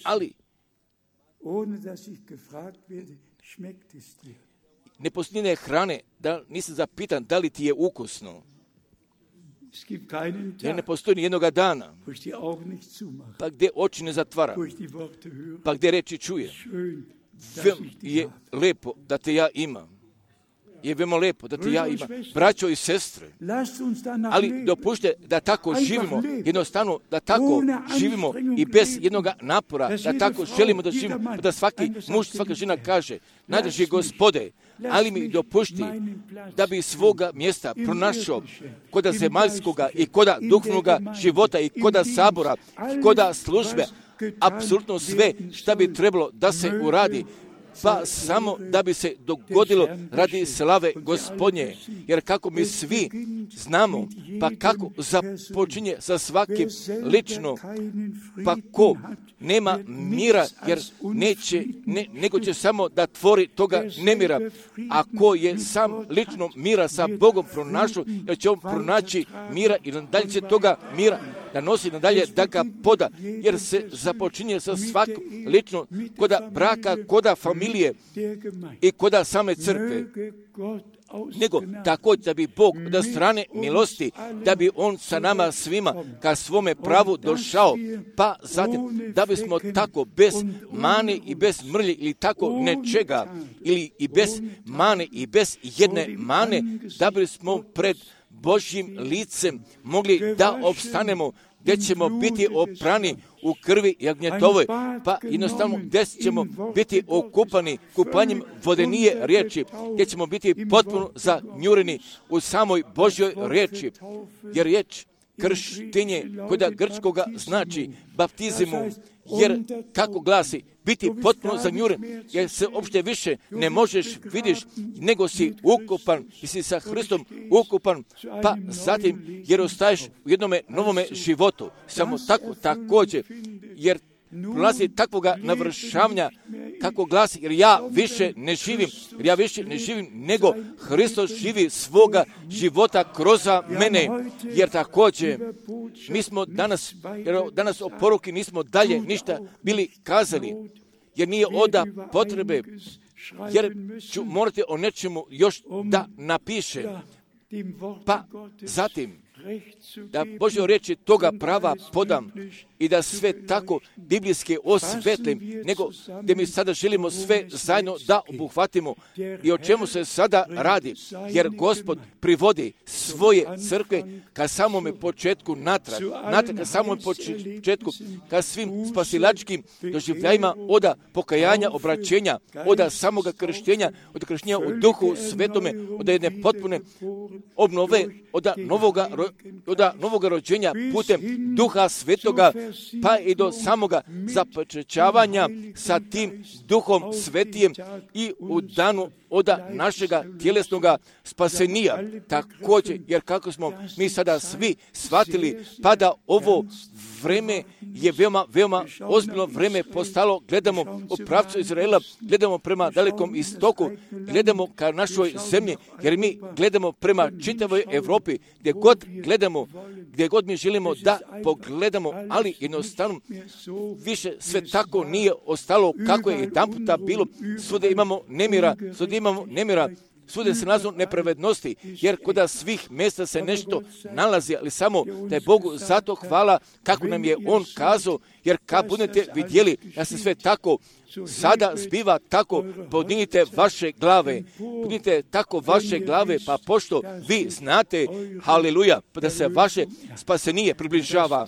Ali ne postoji hrane, da nisam zapitan da li ti je ukusno. Jer ne postoji ni jednoga dana, pa gdje oči ne zatvara, pa gdje reči čuje. Veoma je lepo da te ja imam. Je veoma lepo da te ja imam. Braćo i sestre, ali dopušte da tako živimo, jednostavno da tako živimo i bez jednog napora, da tako želimo da živimo, da svaki muž, svaka žena kaže, najdraži Gospode, ali mi dopušti da bi svoga mjesta pronašao koda zemaljskoga i koda duhovnoga života i koda sabora, koda službe, apsolutno sve šta bi trebalo da se uradi, pa samo da bi se dogodilo radi slave Gospodnje. Jer kako mi svi znamo, pa kako započinje sa svakim lično, pa ko nema mira, jer neće, ne, nego će samo da tvori toga nemira. A ko je sam lično mira sa Bogom pronašao, jer će on pronaći mira i nadalje će toga mira da nosi nadalje, da ga poda, jer se započinje sa svakom lično koda braka, koda familije i koda same crkve. nego također da bi Bog od strane milosti, da bi On sa nama svima ka svome pravu došao, pa zatim da bismo tako bez mane i bez mrlje ili tako nečega, ili i bez mane i bez jedne mane, da bismo pred Božjim licem mogli da opstanemo, gdje ćemo biti oprani u krvi jagnjetovoj, pa jednostavno gdje ćemo biti okupani kupanjem vodenije riječi, gdje ćemo biti potpuno zanjureni u samoj Božjoj riječi, jer riječ krštenje koda grčkoga znači baptizimu, jer kako glasi, biti potpuno zanjuren, jer se uopšte više ne možeš vidiš, nego si ukupan, i si sa Hristom ukupan, pa zatim jer ostaješ u jednome novome životu, samo tako također, jer prolazi takvoga navršavanja, kako glasi, jer ja više ne živim, jer ja više ne živim, nego Hristos živi svoga života kroz mene, jer također mi smo danas, jer danas o poruki nismo dalje ništa bili kazali, jer nije oda potrebe, jer ću morati o nečemu još da napiše, pa zatim da Božje riječi toga prava podam i da sve tako biblijski osvetlim, nego da mi sada želimo sve zajedno da obuhvatimo i o čemu se sada radi, jer Gospod privodi svoje crkve ka samome početku natrag, natrag ka samome početku, ka svim spasilačkim doživljajima oda pokajanja, obraćenja, oda samoga krštenja, od krštenja u duhu svetome, od jedne potpune obnove, oda novoga od novoga rođenja putem duha svetoga, pa i do samoga započećavanja sa tim duhom svetijem i u danu od našega tjelesnoga spasenija. Također, jer kako smo mi sada svi shvatili, pa da ovo vreme je veoma, veoma ozbiljno vreme postalo, gledamo u pravcu Izraela, gledamo prema dalekom istoku, gledamo ka našoj zemlji, jer mi gledamo prema čitavoj Europi, gdje god gledamo, gdje god mi želimo da pogledamo, ali jednostavno više sve tako nije ostalo kako je jedan puta bilo. Svude imamo nemira, svude imamo nemira, svude se nalazu nepravednosti, jer kod svih mjesta se nešto nalazi, ali samo da je Bogu zato hvala kako nam je On kazao, jer kad budete vidjeli da se sve tako sada zbiva tako, podignite vaše glave, podignite tako vaše glave, pa pošto vi znate, haleluja, da se vaše spasenije približava,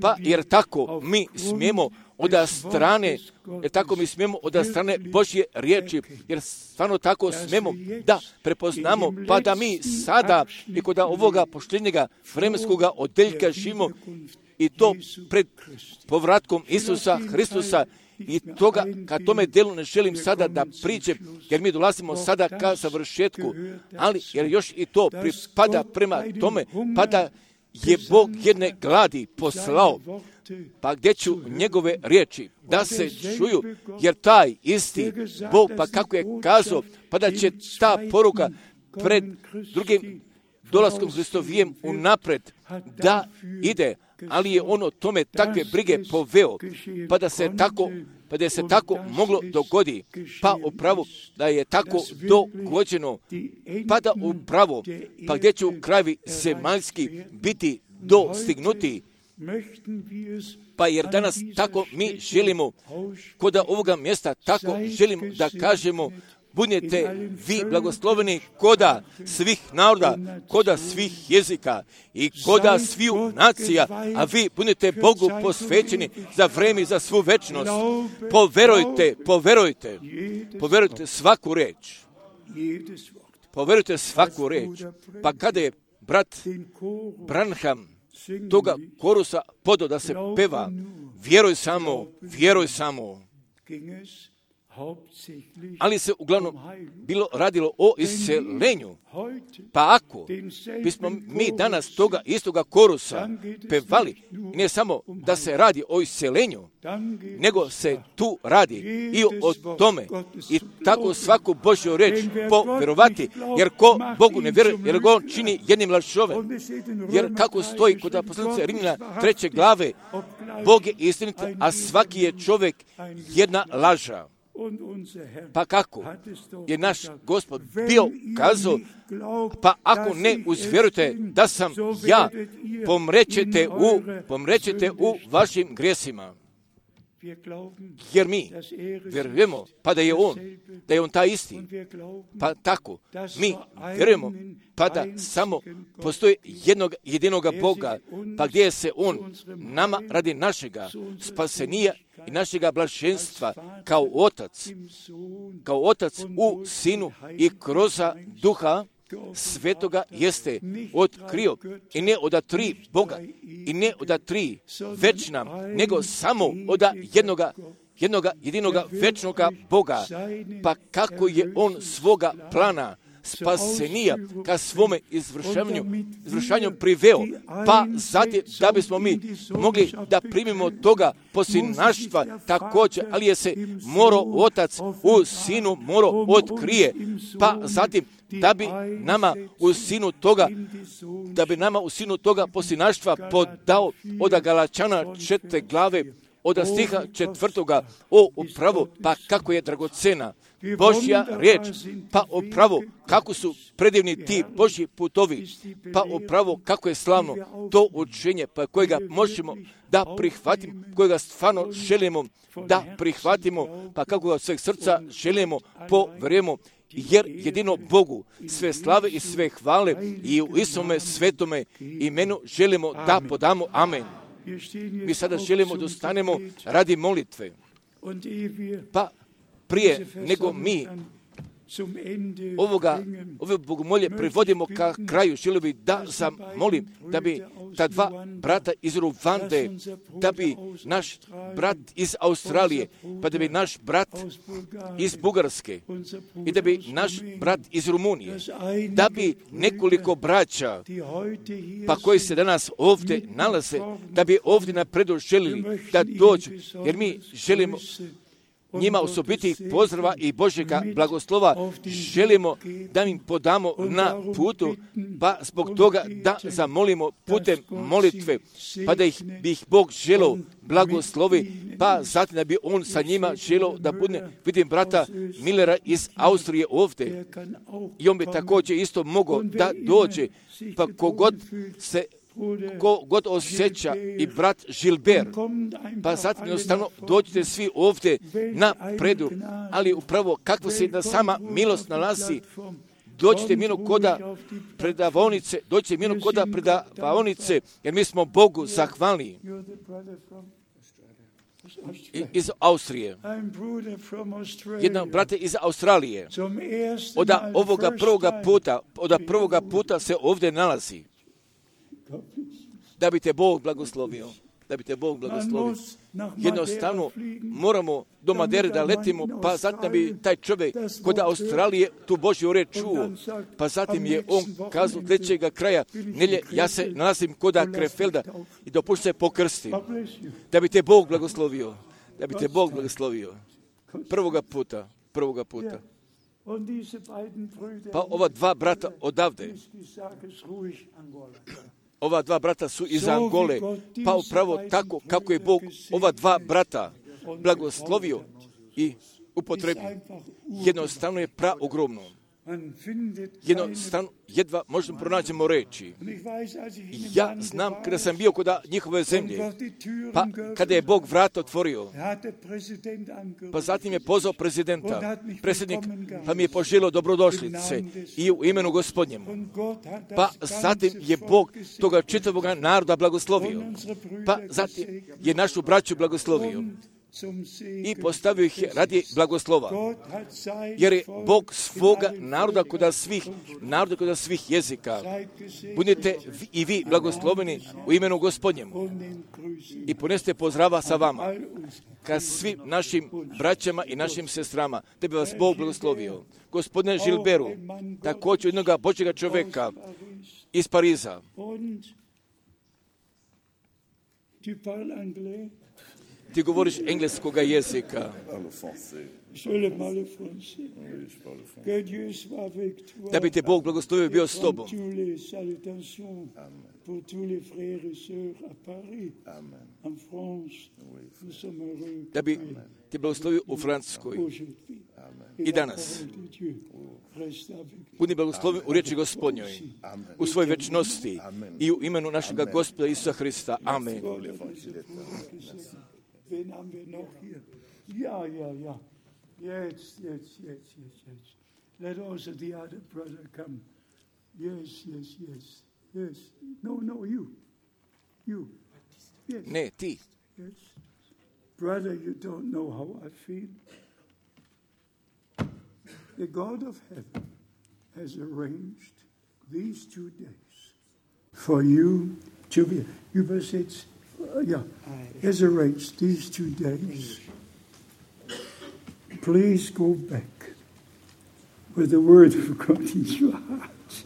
pa jer tako mi smijemo od strane, jer tako mi smijemo od strane Božje riječi, jer stvarno tako smijemo da prepoznamo, pa da mi sada i kod ovoga poštenjega vremenskoga odeljka živimo, i to pred povratkom Isusa Hristusa, i toga, ka tome delu ne želim sada da priđem, jer mi dolazimo sada ka završetku, ali jer još i to pripada prema tome, pa da je Bog jedne gladi poslao, pa gdje ću njegove riječi da se čuju, jer taj isti Bog, pa kako je kazao, pa da će ta poruka pred drugim dolaskom Hristovijem unapred da ide, ali je on o tome takve brige poveo, pa da se tako, pa da se tako moglo dogodi, pa upravo da je tako dogođeno, pa da upravo, pa gdje će u krajevi zemaljski biti dostignuti, pa jer danas tako mi želimo, kod ovoga mjesta tako želimo da kažemo, budete vi blagosloveni koda svih naroda, koda svih jezika i koda sviju nacija, a vi budete Bogu posvećeni za vreme i za svu večnost. Poverujte, poverujte, poverujte svaku reč. Poverujte svaku reč. Pa kada je brat Branham toga korusa podao da se peva, vjeruj samo, vjeruj samo. Ali se uglavnom bilo radilo o iscelenju. Pa ako bismo mi danas toga istoga korusa pevali, ne samo da se radi o iscelenju, nego se tu radi i o tome. I tako svaku Božju reč povjerovati, jer ko Bogu ne vjeruje, jer ga on čini jednim lažovem. Jer kako stoji kod poslanice Rimljana treće glave, Bog je istinit, a svaki je čovjek jedna laža. Pa kako je naš Gospod bio kazao, pa ako ne uzvjerujete da sam ja, pomrećete u, pomrećete u vašim grijesima. Jer mi vjerujemo, pa da je On, da je On taj isti. Pa tako, mi vjerujemo, pa da samo postoji jednog jedinoga Boga, pa gdje se On nama radi našega spasenija i našega blaženstva kao Otac, kao Otac u Sinu i kroz Duha Svetoga jeste otkrio i ne od tri Boga i ne od tri večna, nego samo od jednoga, jednoga jedinoga večnoga Boga. Pa kako je On svoga plana spasenija ka svome izvršavanju, izvršavanju priveo, pa zatim da bismo mi mogli da primimo toga posinaštva također, ali je se morao Otac u Sinu morao otkrije, pa zatim da bi nama u sinu toga, da bi nama u sinu toga posinaštva podao od Galačana četvrte glave, od stiha četvrtoga, o upravo, pa kako je dragocena Božja riječ, pa upravo kako su predivni ti Božji putovi, pa upravo kako je slavno to učenje, pa kojega možemo da prihvatimo, kojega stvarno želimo da prihvatimo, pa kako ga sveg srca želimo, povjerujemo, jer jedino Bogu sve slave i sve hvale i u Isome svetome imenu želimo da podamo. Amen. Mi sada želimo da stanemo radi molitve. Pa prije nego mi ovoga, ove bogomolje privodimo ka kraju, želio bi da zamolim da bi ta dva brata iz Ruvande, da bi naš brat iz Australije, pa da bi naš brat iz Bugarske i da bi naš brat iz Rumunije, da bi nekoliko braća, pa koji se danas ovdje nalaze, da bi ovdje napredu želili da dođu, jer mi želimo njima osobitih pozdrava i Božjega blagoslova želimo da im podamo na putu, pa zbog toga da zamolimo putem molitve, pa da ih bi ih Bog želio blagoslovi, pa zatim da bi On sa njima želio da bude. Vidim brata Millera iz Austrije ovdje i on bi također isto mogao da dođe, pa kogod se ko god osjeća i brat Gilbert, pa zatim jednostavno dođite svi ovdje na predu, ali upravo kakva se jedna sama milost nalazi, dođite mino koda predavonice, dođite mino koda predavonice, jer mi smo Bogu zahvalni. Iz Austrije. Jedan brate iz Australije. Od ovoga prvoga puta, od prvoga puta se ovdje nalazi. Da bi te Bog blagoslovio. Da bi te Bog blagoslovio. Jednostavno moramo do Madere da letimo, pa zatim da bi taj čovjek kod Australije tu Božju riječ čuo. Pa zatim je on kazao trećega kraja nelje, ja se nalazim kod Krefelda i dopušta se pokrsti. Da bi te Bog blagoslovio. Da bi te Bog blagoslovio. Prvoga puta. Prvoga puta. Pa ova dva brata odavde. Ova dva brata su iz Angole, pa upravo tako kako je Bog ova dva brata blagoslovio i upotrebio. Jednostavno je praogromno. Jednostavno, jedva možemo pronađemo reći. Ja znam kada sam bio kod njihove zemlje, pa kada je Bog vrata otvorio, pa zatim je pozvao prezidenta, predsjednik, pa mi je poželio dobrodošlice i u imenu Gospodnjemu. Pa zatim je Bog toga čitavog naroda blagoslovio, pa zatim je našu braću blagoslovio i postavio ih radi blagoslova. Jer je Bog svoga naroda kod svih naroda kod svih jezika. Budite i vi blagosloveni u imenu Gospodnjemu. I poneste pozdrava sa vama ka svim našim braćama i našim sestrama, da bi vas Bog blagoslovio. Gospodine Gilberu, također jednoga Božjega čovjeka iz Pariza. Ti govoriš engleskoga jezika. Da bi te Bog blagoslovio bio s tobom. Da bi te blagoslovio u Francuskoj i danas. Budi blagoslovio u riječi Gospodnjoj, u svojoj večnosti i u imenu našega Gospoda Isusa Hrista. Amen. Ja, ja, ja. Jetzt, jetzt, jetzt, jetzt, jetzt. Let also the other brother come. Yes, yes, yes, yes. No, no, you. You. Yes. Ne, ti. Yes. Brother, you don't know how I feel. The God of heaven has arranged these two days for you to be, übersetzt, uh, yeah, has arranged these two days. Please go back with the word of God in your heart.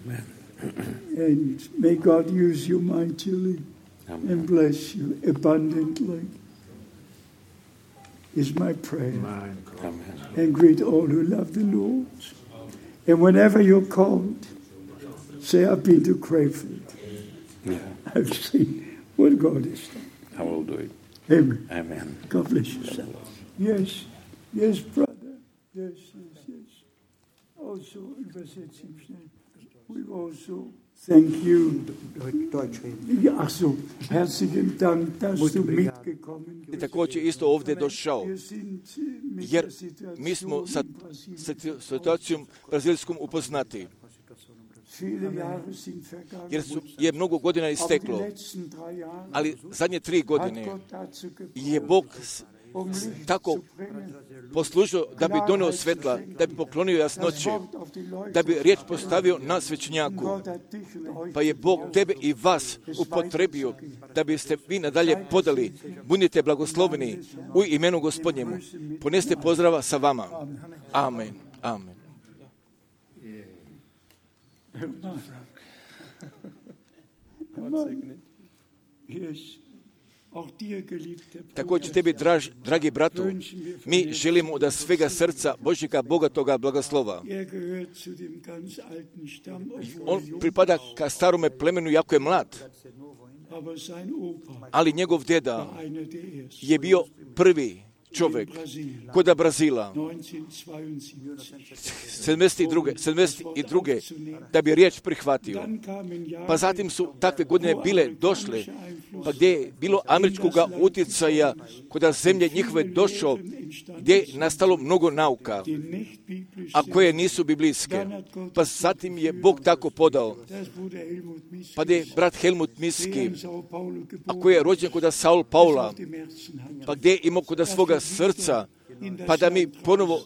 Amen. And may God use you mightily. Amen. And bless you abundantly. Is my prayer. Amen. And greet all who love the Lord. And whenever you're called, say, I've been to Crayford. Yeah. I've seen what God has done. I will do it. Amen. Amen. God bless you, sir. Yes, yes, brother. Yes, yes, yes. Also, übersetzen schnell. We also thank you. Deutsch reden. Ja, ach so, herzlichen Dank, dass du mitgekommen bist. Također isto ovdje došao, jer mi smo sa, sa situacijom brazilskom upoznati. Jer su, je mnogo godina isteklo, ali zadnje tri godine je Bog tako poslužio da bi donio svetla, da bi poklonio jasnoće, da bi riječ postavio na svećnjaku. Pa je Bog tebe i vas upotrebio da biste vi nadalje podali. Budite blagosloveni u imenu Gospodnjemu. Poneste pozdrava sa vama. Amen. Amen. Također tebi, draž, dragi bratu, mi želimo da svega srca Božjega bogatoga blagoslova. On pripada ka starome plemenu, jako je mlad, ali njegov deda je bio prvi čovjek kod Brazila sedamdeset druge da bi riječ prihvatio. Pa zatim su takve godine bile došle, pa gdje je bilo američkog utjecaja kod zemlje njihove došao, gdje je nastalo mnogo nauka, a koje nisu biblijske. Pa zatim je Bog tako podao. Pa gdje je brat Helmut Miski, a koji je rođen kod Saul Paula, pa gdje je imao kod svoga srca, pa da mi ponovo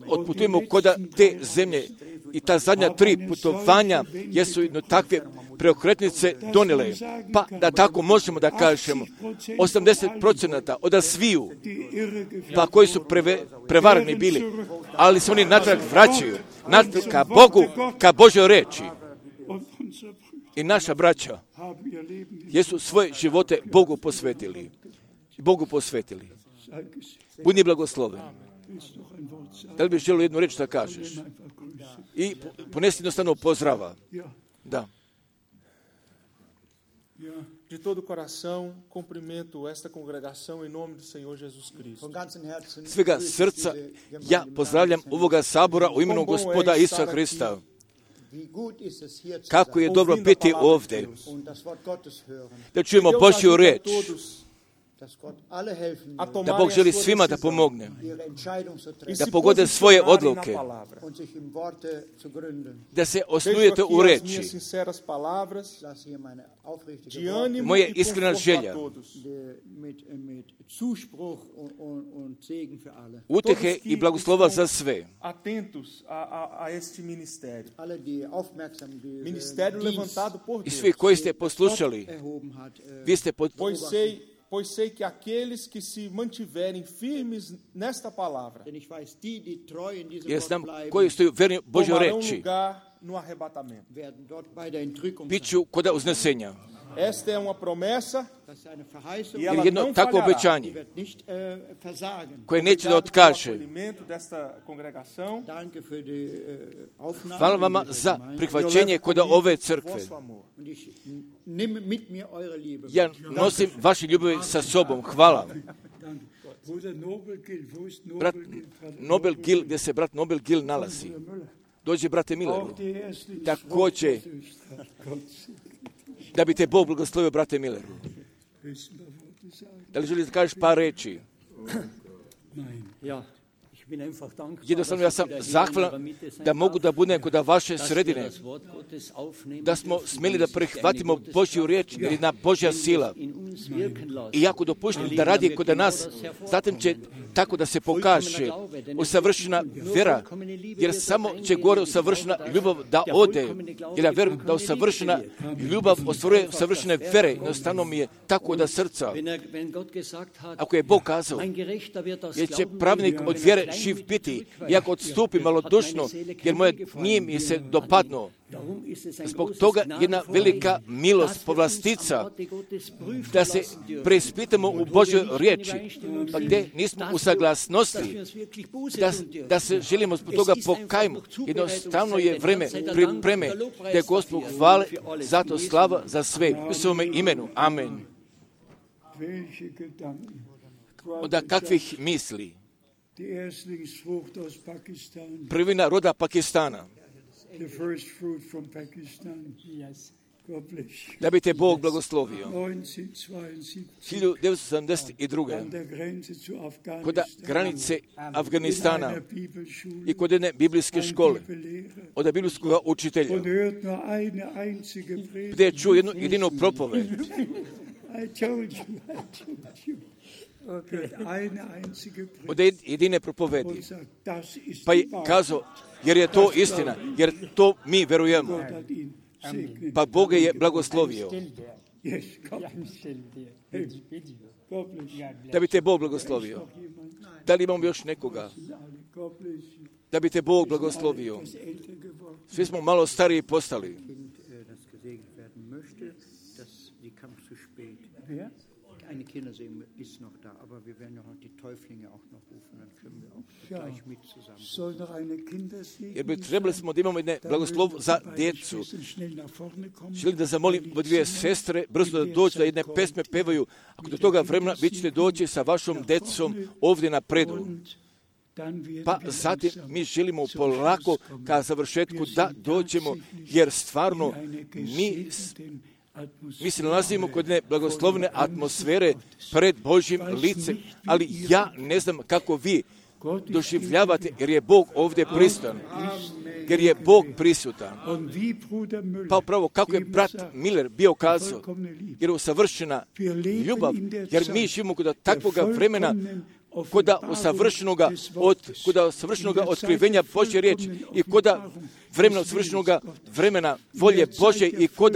otputujemo kod te zemlje. I ta zadnja tri putovanja jesu jedno takve preokretnice donijele. Pa da tako možemo da kažemo, osamdeset procenata od sviju, pa koji su preve, prevarani bili, ali se oni natrag vraćaju, natrag ka Bogu, ka Božoj reči. I naša braća jesu svoje živote Bogu posvetili. Bogu posvetili. Budi blagosloven. Da li bi želio jednu reč da kažeš? I ponesi jednostavno pozdrava. Da. De todo coração, cumprimento esta congregação em nome do Senhor Jesus Cristo. Svega srca ja pozdravljam ovoga sabora u imenu Gospoda Isusa Hrista. Kako je dobro biti ovdje, da čujemo Božju reč, da Bog želi svima da pomogne, da pogode svoje odluke, da se osnujete u reči. Moja iskrena želja, utehe i blagoslova za sve. I svi koji ste poslušali, vi ste pod... Pois sei que aqueles que se mantiverem firmes nesta palavra tomarão lugar no arrebatamento. Biću kod uznesenja. Esta é uma promessa e Ili ela jedno não takvo falhará. obećanje koje neće da otkaže. Hvala vama za prihvaćenje kod ove crkve. Ja nosim vaše ljubavi sa sobom. Hvala. Brat Nobel Gil, gdje se brat Nobel Gil nalazi. Dođe brate Milleru. Također, da bi te Bog blagoslovio, brate Milleru. Da li želiš da kažeš par reči? Jednostavno ja sam zahvalan da mogu da budem kod vaše sredine, da smo smjeli da prihvatimo Božju riječ jer je na Božja sila. I ako dopuštim da radi kod nas, zatim će tako da se pokaže usavršena vjera, jer samo će gore usavršena ljubav da ode, jer ja vjerujem da usavršena ljubav ostvaruje usavršene vjere. Jednostavno mi je tako da srca, ako je Bog kazao, jer će pravnik od vjere živ biti, iako odstupi malodušno, jer moje nije mi se dopadno. Zbog toga jedna velika milost, povlastica, da se preispitamo u Božjoj riječi, pa gdje nismo u saglasnosti, da, da se želimo zbog toga pokajmo. Jednostavno je vreme pripreme, da je Gospod hvale, zato slava za sve. U svome imenu. Amen. Onda kakvih misli? Prvina roda Pakistana. Da bi te Bog blagoslovio. hiljadu devetsto sedamdeset druge. kod granice Afganistana i kod jedne biblijske škole, od biblijskog učitelja, gdje je čuo jednu jedinu propoved. Od jedine propovedi. Pa je kazao, jer je to istina, jer to mi verujemo. Pa Bog je blagoslovio. Da bi te Bog blagoslovio. Da li imamo još nekoga? Da bi te Bog blagoslovio. Svi smo malo stariji postali. Eine Kindersee ist noch da, aber wir werden ja heute die Täuflinge auch noch rufen, dann können wir auch gleich mit zusammen. Jer bi trebali smo da imamo jedne blagoslov za djecu. Želim da zamolim dvije sestre brzo da dođu da jedne pesme pevaju. Ako do toga vremena vi ćete doći sa vašom djecom ovdje na predu. Pa zatim mi želimo polako ka završetku da dođemo, jer stvarno mi Mi se nalazimo kod jedne blagoslovne atmosfere pred Božjim licem, ali ja ne znam kako vi doživljavate, jer je Bog ovdje prisutan. Jer je Bog prisutan. Pa upravo kako je brat Miller bio kazao, jer je usavršena ljubav, jer mi živimo kod takvog vremena, kod usavršenoga od, kod usavršenoga otkrivenja Božje riječi i kod vremena usavršenoga vremena volje Božje i kod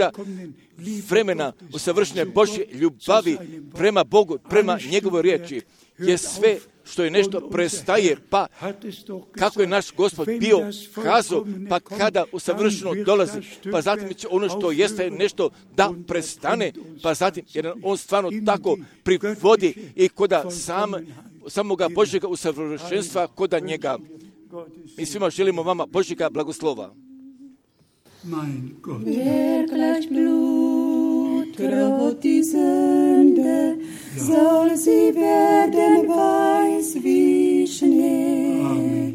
vremena usavršene Božje ljubavi prema Bogu, prema njegovoj riječi, je sve što je nešto prestaje, pa kako je naš Gospod bio kazao, pa kada usavršeno dolazi, pa zatim će ono što jeste nešto da prestane, pa zatim, jer on stvarno tako privodi i koda sam, samoga Božjega usavršenstva koda njega. Mi svima želimo vama Božjega blagoslova. Wer gleich Blut rot die Sünde, soll sie werden weiß wie Schnee.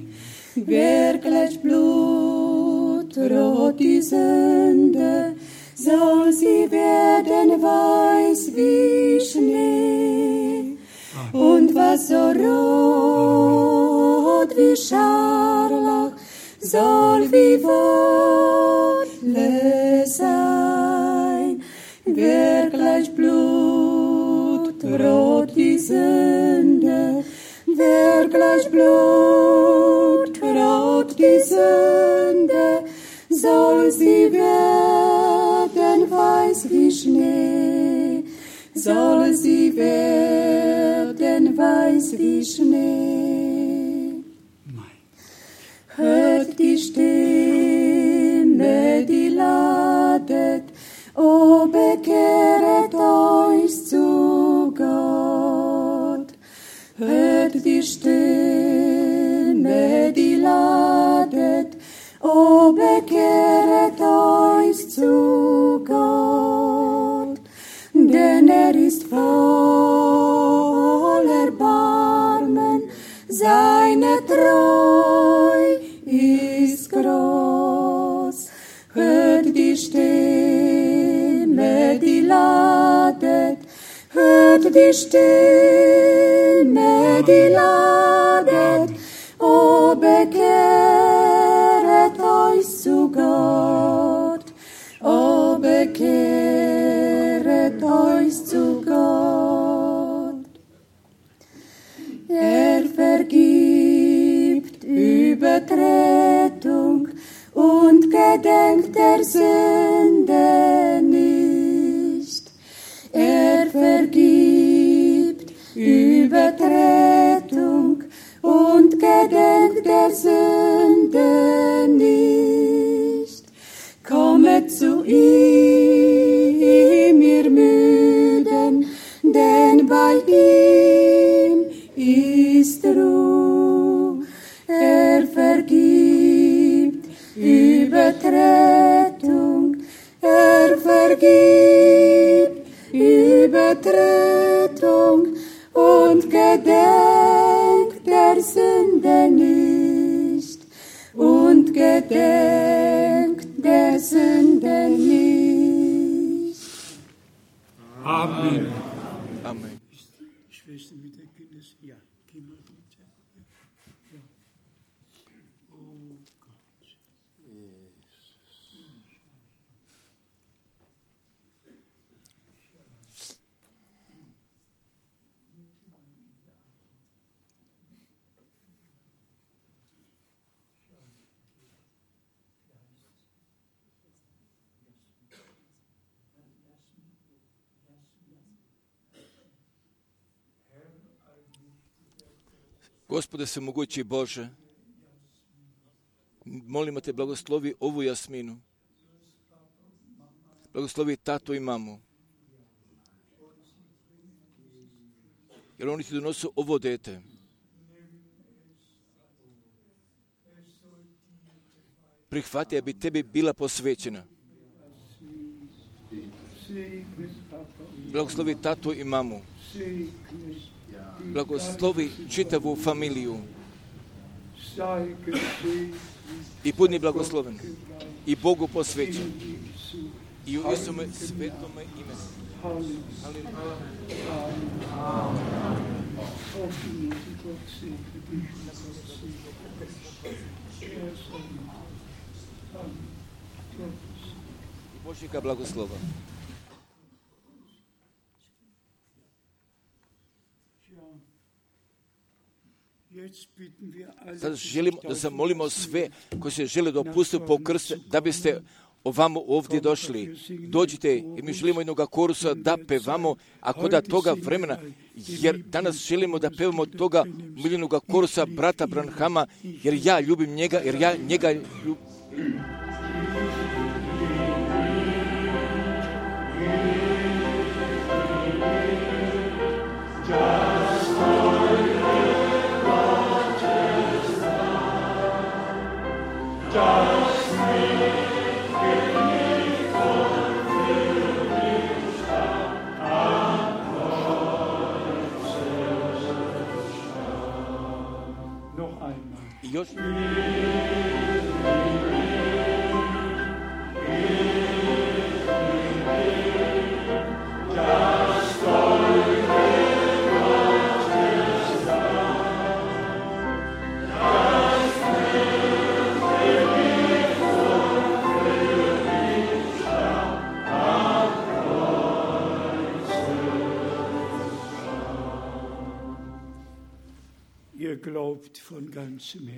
Wer gleich Blut rot die Sünde, soll sie werden weiß wie Schnee. Und was so rot wie Scharlach, soll wie Wolle sein. Wer gleich Blut rot die Sünde, wer gleich Blut rot die Sünde, soll sie werden weiß wie Schnee, soll sie werden weiß wie Schnee. Hört die Stimme, die ladet O bekehret euch zu Gott, hört die Stimme, die ladet, o bekehret euch zu Gott, denn er ist voll Erbarmen, seine Treu ist groß. Hört die Stimme, die ladet, hört die Stimme, die ladet, o bekehret euch zu Gott, o bekehret euch zu Gott. Er vergibt Übertretung und gedenkt der Sünde nicht. Er vergibt Übertretung und gedenkt der Sünde nicht. Kommet zu ihm, ihr Müden, denn bei ihm ist Ruhe. Er vergibt Übertretung, er vergibt Übertretung und gedenkt der Sünde nicht, und gedenkt der Sünde nicht. Amen. Amen. Schwester mit der Kindes, ja, geh mal bitte. Ja. Oh Gott. Gospode svemogući Bože, molimo te, blagoslovi ovu Jasminu, blagoslovi tato i mamu, jer oni ti donose ovo dete. Prihvati, da bi tebi bila posvećena. Blagoslovi tato i mamu. Blagoslovi čitavu familiju i budi blagosloven i Bogu posvećen i u Isome svetome ime. Božjega blagoslova. Sad želimo da zamolimo sve koji se žele dopustiti po krstu, da biste ovamo ovdje došli. Dođite i mi želimo jednog korusa da pevamo, ako da toga vremena, jer danas želimo da pevamo toga miljenog korusa brata Branhama, jer ja ljubim njega, jer ja njega ljubim. Još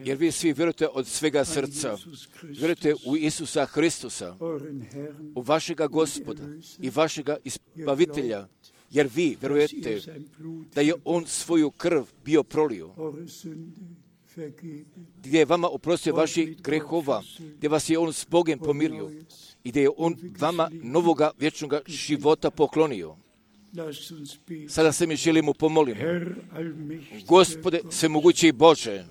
jer vi svi vjerujete od svega srca, vjerujete u Isusa Hristusa, u vašega Gospoda i vašega Izbavitelja, jer vi vjerujete da je On svoju krv bio prolio gdje je vama oprostio vaših grehova, gdje vas je on s Bogom pomirio i gdje je on vama novoga vječnoga života poklonio. Sada se mi želimo pomoliti. Gospode, svemogući Bože,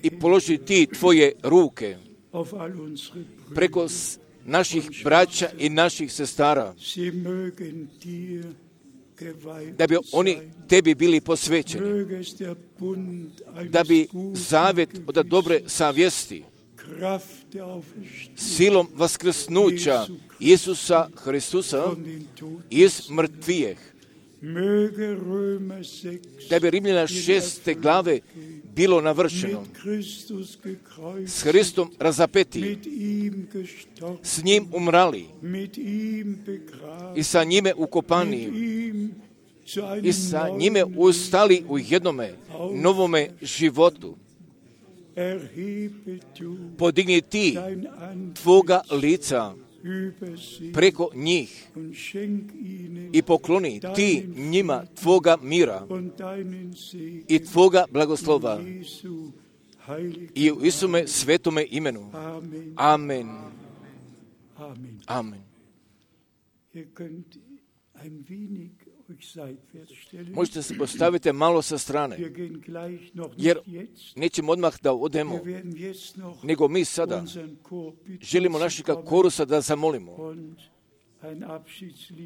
i položi ti tvoje ruke preko naših braća i naših sestara, da bi oni tebi bili posvećeni, da bi zavjet od dobre savjesti, silom vaskrsnuća Isusa Hristusa iz mrtvijeh, da bi Rimljana šeste glave bilo navršeno, s Hristom razapeti, s njim umrali i sa njime ukopani i sa njime ustali u jednome novome životu. Podigni ti tvoga lica preko njih i pokloni ti njima tvoga mira i tvoga blagoslova i u Isume svetome imenu. Amen. Amen. Možete se postaviti malo sa strane, jer nećemo odmah da odemo, nego mi sada želimo našega korusa da zamolimo,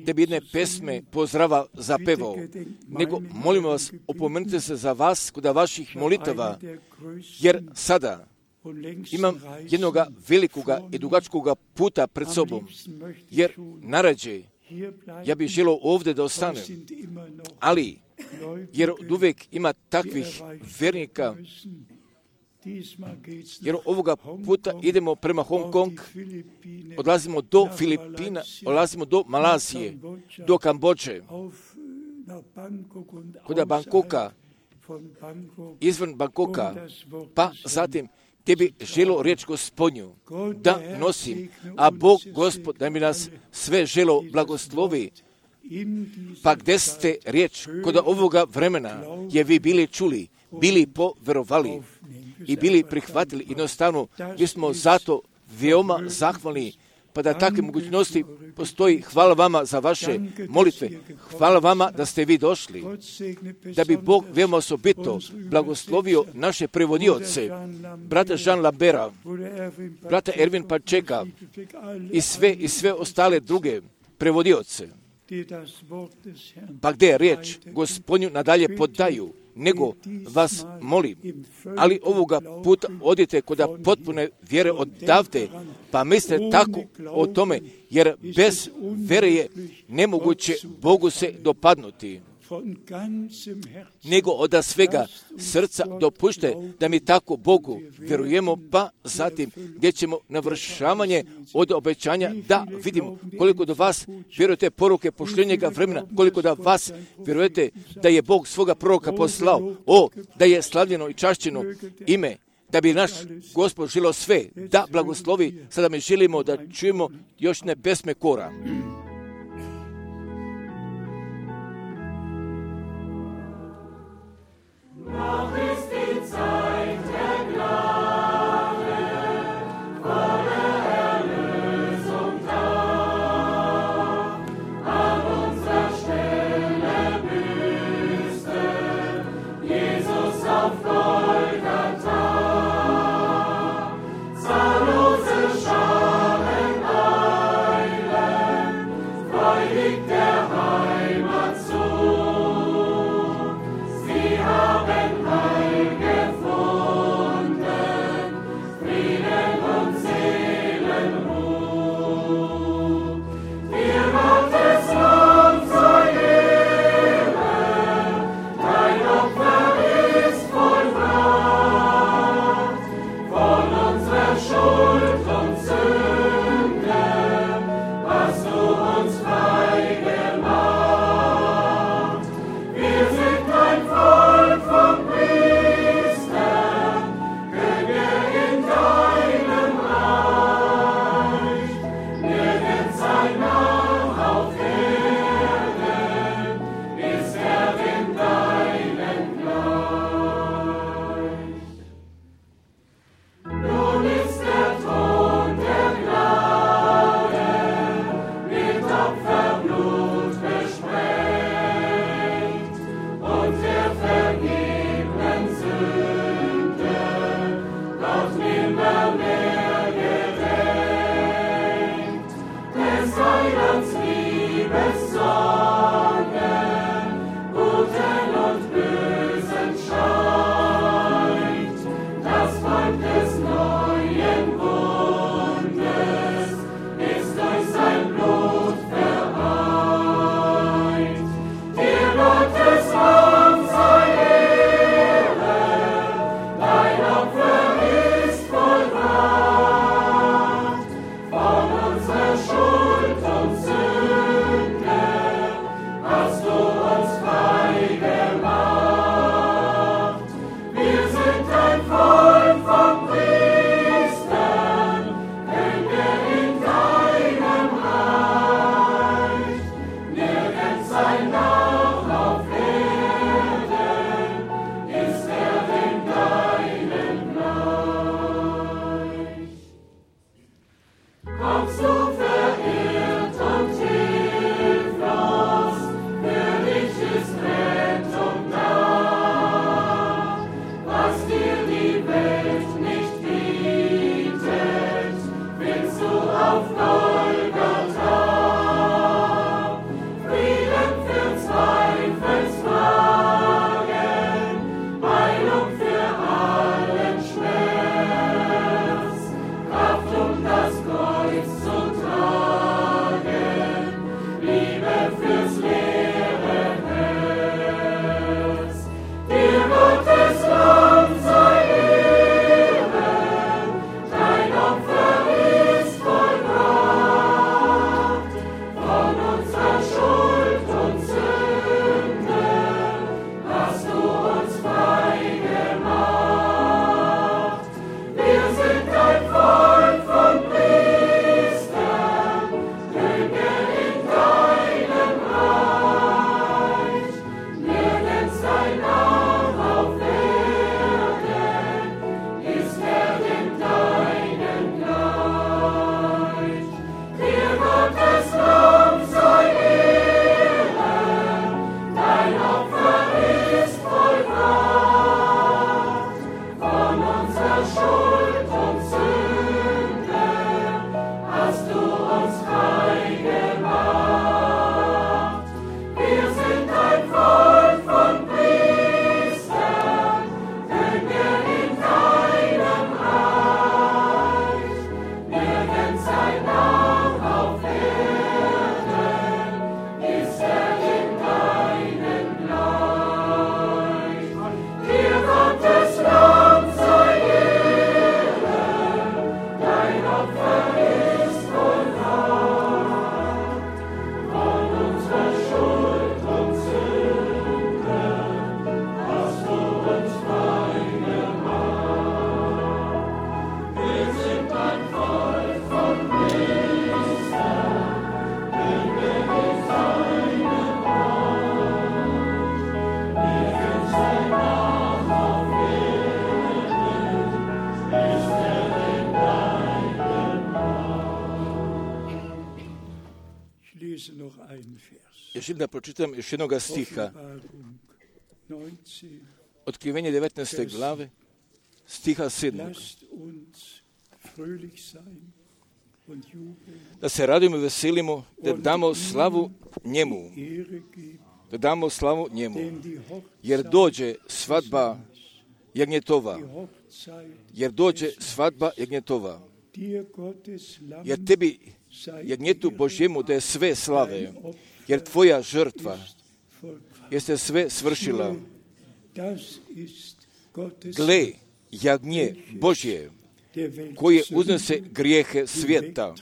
da bi jedne pesme pozdrava zapevao, nego molimo vas, opomenite se za vas kod vaših molitava, jer sada imam jednoga velikoga i dugačkoga puta pred sobom, jer narađe ja bih želio ovdje da ostanem, ali jer od uvijek ima takvih vernika, jer ovoga puta idemo prema Hong Kong, odlazimo do Filipina, odlazimo do Malazije, do Kambodže, kod Bangkoka, izvan Bangkoka, pa zatim te bi želo riječ Gospodnju da nosim, a Bog Gospod da mi nas sve želo blagoslovi. Pa gdje ste riječ kod ovoga vremena je vi bili čuli, bili poverovali i bili prihvatili, jednostavno mi smo zato veoma zahvalni, pa da takve mogućnosti postoji. Hvala vama za vaše molitve. Hvala vama da ste vi došli, da bi Bog veoma osobito blagoslovio naše prevodioce, brata Jean Lambera, brata Ervin Pačeka i sve, i sve ostale druge prevodioce. Pa gdje je riječ Gospodnju nadalje podaju, nego vas molim, ali ovoga puta odite kod potpune vjere odavde, pa mislite tako o tome, jer bez vjere je nemoguće Bogu se dopadnuti. Nego od svega srca dopušte da mi tako Bogu vjerujemo, pa zatim gdje ćemo navršavanje od obećanja da vidimo koliko do vas vjerujete poruke pošljenjega vremena, koliko da vas vjerujete da je Bog svoga proroka poslao, o, da je slavljeno i čašćeno ime, da bi naš Gospod želio sve da blagoslovi. Sada mi želimo da čujemo još ne pesme kora. Noch ist die Zeit der Gnade, volle Erlösung da. An unserer Stelle büßte Jesus auf Golgatha. Zahllose Scharen eilen Još da pročitam još jednog stiha. Otkrivenje devetnaeste glave, stiha sedmog. Da se radimo i veselimo, da damo slavu njemu. Da damo slavu njemu. Jer dođe svadba jagnjetova. Jer dođe svadba jagnjetova. Jer tebi, jagnjetu Božjemu, da je sve slave. Jer tvoja žrtva jeste sve svršila. Gle, jagnje Božje, koje uznese grijehe svijeta.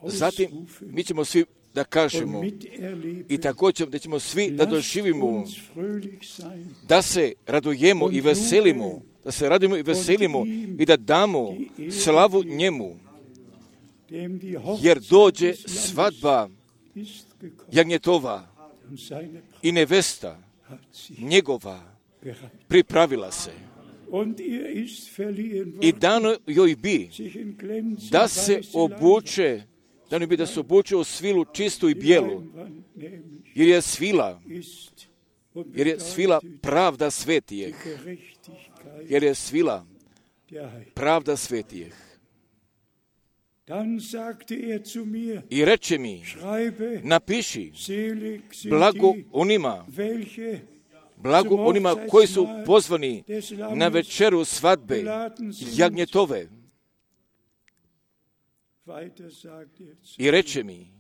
Zatim mi ćemo svi da kažemo i također da ćemo svi da doživimo da se radujemo i veselimo, da se radujemo i veselimo i da damo slavu njemu. Jer dođe svadba jagnjetova i nevesta njegova pripravila se. I dano joj bi da se obuče, dano bi da se obuče u svilu čistu i bijelu, jer je svila, jer je svila pravda svetijeh, jer je svila pravda svetijeh. I reče mi, napiši, blago onima, blago onima koji su pozvani na večeru svadbe jagnjetove. I reče mi,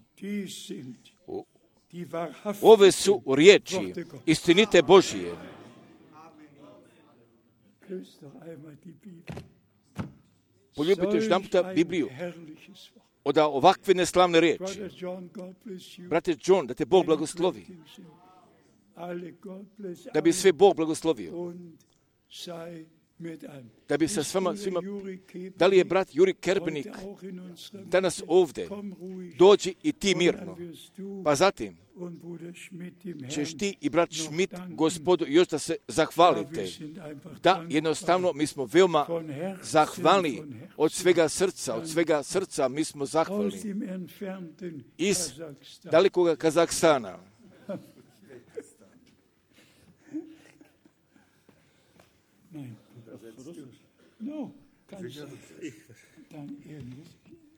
ove su riječi istinite Božije. Poljubite još jedan puta Bibliju od ovakve neslavne riječi. Brate John, da te Bog blagoslovi. Da bi sve Bog blagoslovio. Da bi se s vama svima, da li je brat Juri Kerbenik danas ovdje, dođi i ti mirno. Pa zatim ćeš ti i brat Schmidt Gospodu još da se zahvalite. Da, jednostavno mi smo veoma zahvalni od svega srca, od svega srca mi smo zahvalni. Iz dalekog Kazahstana.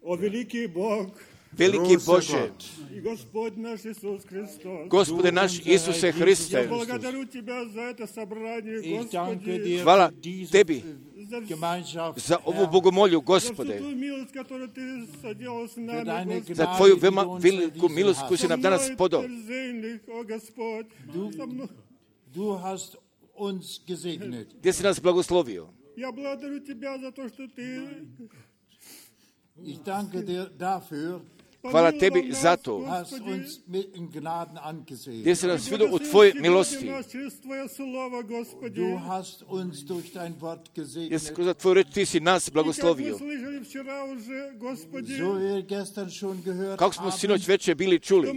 O veliki Bog, veliki Bože, Gospode naš Isuse Hriste, hvala Tebi za ovu bogomolju, Gospode, za Tvoju veoma veliku milost koju si nam danas podao. Gdje si nas blagoslovio? Ja благодарю Тебя за то, что Ты Ich danke dir dafür, hvala Tebi za to, hast uns in Gnaden angesehen. gdje si nas vidio u Tvojoj milosti. Du hast uns durch dein Wort gesegnet. Jesi kroz Tvoju reč Ti si nas blagoslovio. So wie wir gestern schon gehört Kako smo sinoć večer bili čuli.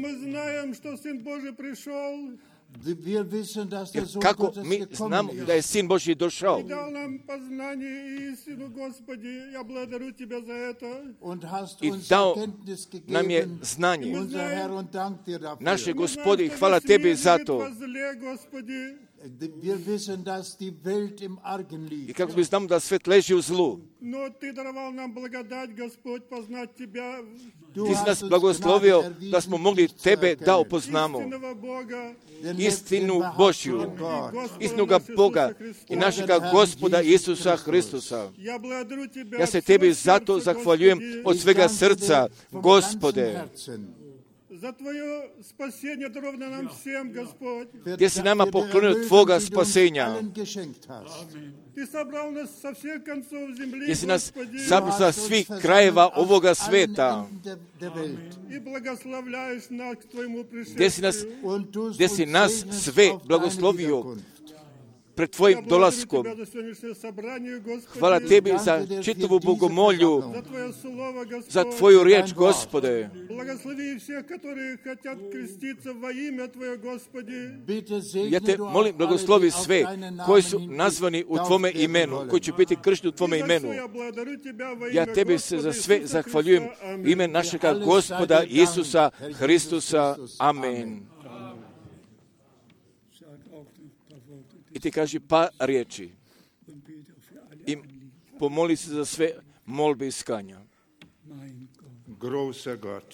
Wir wissen, dass der Sohn Kako Gottes mi gekommen znamo ist. da je Sin Božji došao Und hast i uns dao Erkenntnis nam je gegeben. znanje. Unser Herr, und dank dir dafür. Naše Gospodi, hvala Tebi za to. Wir wissen, dass die Welt im Argen I liegt. kako mi znamo da svet leži u zlu. Ti si nas blagoslovio da smo mogli Tebe da upoznamo. Istinu Božju, istinoga Boga i našega Gospoda Isusa Hristusa. Ja se Tebi zato zahvaljujem od svega srca, Gospode, gdje si nama poklonio tvoga spasenja, gdje si nas sabrao sa svih krajeva ovoga sveta, gdje si nas, gdje si nas sve blagoslovio pred tvojim dolaskom. Hvala tebi za čitavu bogomolju, za tvoju riječ, Gospode. Ja te molim, blagoslovi sve koji su nazvani u tvome imenu, koji će biti kršteni u tvome imenu. Ja tebi se za sve zahvaljujem u ime našega Gospoda Isusa Hristusa. Amen. I ti kaži par riječi i pomoli se za sve molbe iskanja.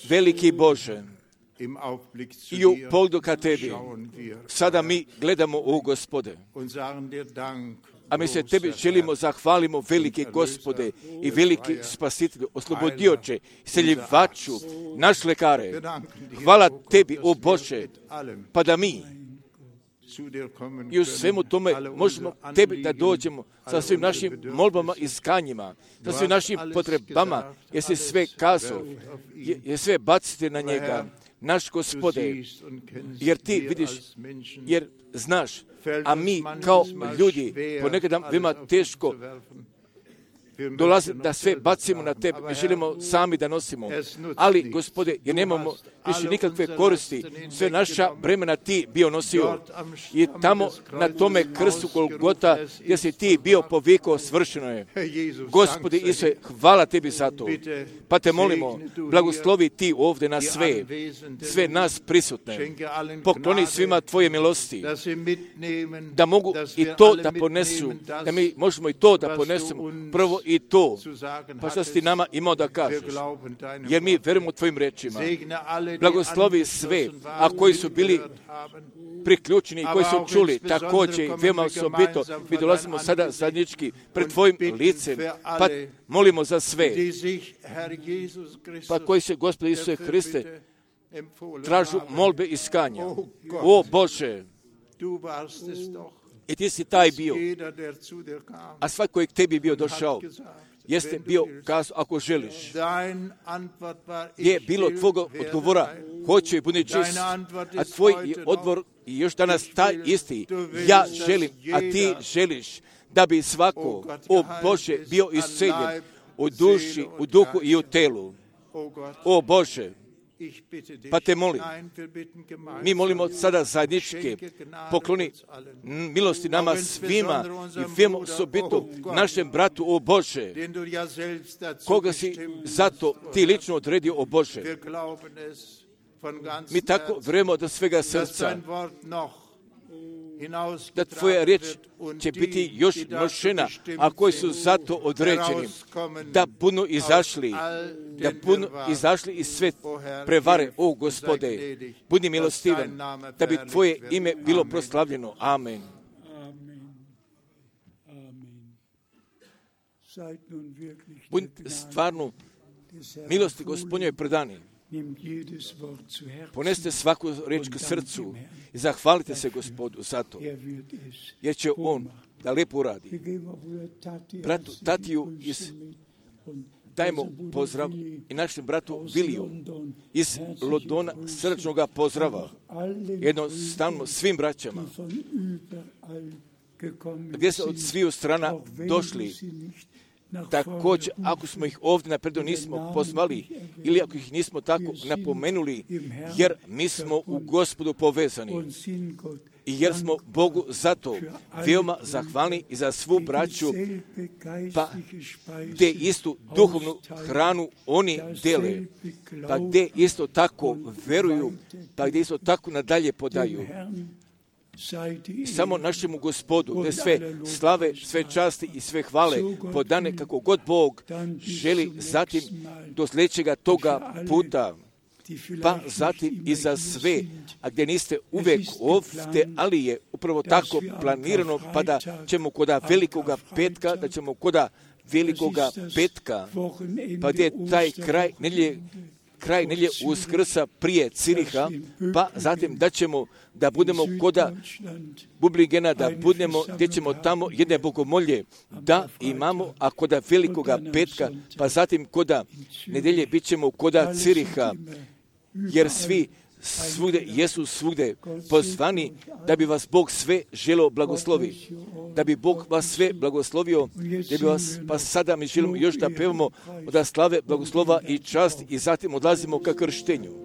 Veliki Bože, i u pogledu ka tebi, sada mi gledamo u Gospode, a mi se tebi želimo zahvalimo, veliki Gospode i veliki Spasitelju, oslobodioče, seljivaču, naš lekare. Hvala tebi, o Bože, pa da mi i u svemu tome možemo tebi da dođemo sa svim našim molbama i iskanjima, sa svim našim potrebama, jer si sve kazao, jer sve bacite na njega, naš Gospode, jer ti vidiš, jer znaš, a mi kao ljudi ponekad nam vima teško dolazi da sve bacimo na tebe, mi želimo sami da nosimo. Ali, Gospode, jer nemamo više nikakve koristi, sve naša bremena ti bio nosio. I tamo na tome krstu Golgota, gdje si ti bio povikao, svršeno je. Gospode Isuse, hvala tebi za to. Pa te molimo, blagoslovi ti ovdje na sve, sve nas prisutne. Pokloni svima tvoje milosti, da mogu i to da ponesu, da mi možemo i to da ponesemo, prvo i to, pa što si ti nama imao da kažeš, jer mi verujemo tvojim rečima. Blagoslovi sve, a koji su bili priključeni i koji su čuli, također veoma osobito, mi dolazimo sada zajednički pred tvojim licem, pa molimo za sve, pa koji se, Gospode Isuse Hriste, tražu molbe iskanja. O Bože, i ti si taj bio, a svako je k tebi bio došao, jeste bio kazao, ako želiš, je bilo tvoga odgovora, hoće i budi čist, a tvoj je odgovor i još danas taj isti, ja želim, a ti želiš, da bi svako, o Bože, bio isceljen u duši, u duhu i u telu. O Bože, pa te molim, mi molimo sada zajedničke, pokloni milosti nama svima i vemo osobito našem bratu, o Bože, koga si zato ti lično odredio, o Bože. Mi tako vremo do svega srca, da tvoja riječ će biti još nošena, a koji su zato određeni, da puno izašli, da puno izašli iz sve prevare, o Gospode, budi milostivan, da bi tvoje ime bilo proslavljeno. Amen. Budite stvarno milosti Gospodnjoj predani. Poneste svaku riječ k srcu i zahvalite se Gospodu za to, jer će on da lijepo uradi. Bratu Tatiju iz, dajmo pozdrav i našem bratu Viliju iz Londona srčnoga pozdrava, jednostavno svim braćama, gdje su od sviju strana došli. Također, ako smo ih ovdje napredo nismo pozvali ili ako ih nismo tako napomenuli, jer mi smo u Gospodu povezani i jer smo Bogu zato veoma zahvalni i za svu braću, pa gdje istu duhovnu hranu oni dele, pa gdje isto tako veruju, pa gdje isto tako nadalje podaju. I samo našemu Gospodu, gdje sve slave, sve časti i sve hvale podane kako god Bog želi, zatim do sljedećega toga puta, pa zatim i za sve, a gdje niste uvijek ovdje, ali je upravo tako planirano, pa da ćemo koda velikoga petka, da ćemo koda velikoga petka, pa gdje je taj kraj nedjelje kraj nelje Uskrsa prije Ciriha, pa zatim da ćemo da budemo koda Bubligena, da budemo, gdje ćemo tamo jedne bogomolje, da imamo, a koda velikoga petka, pa zatim koda nedelje bit ćemo koda Ciriha, jer svi svugde, jesu svugde pozvani da bi vas Bog sve želeo blagoslovi, da bi Bog vas sve blagoslovio, da bi vas, pa sada mi želimo još da pevamo od slave, blagoslova i čast i zatim odlazimo ka krštenju.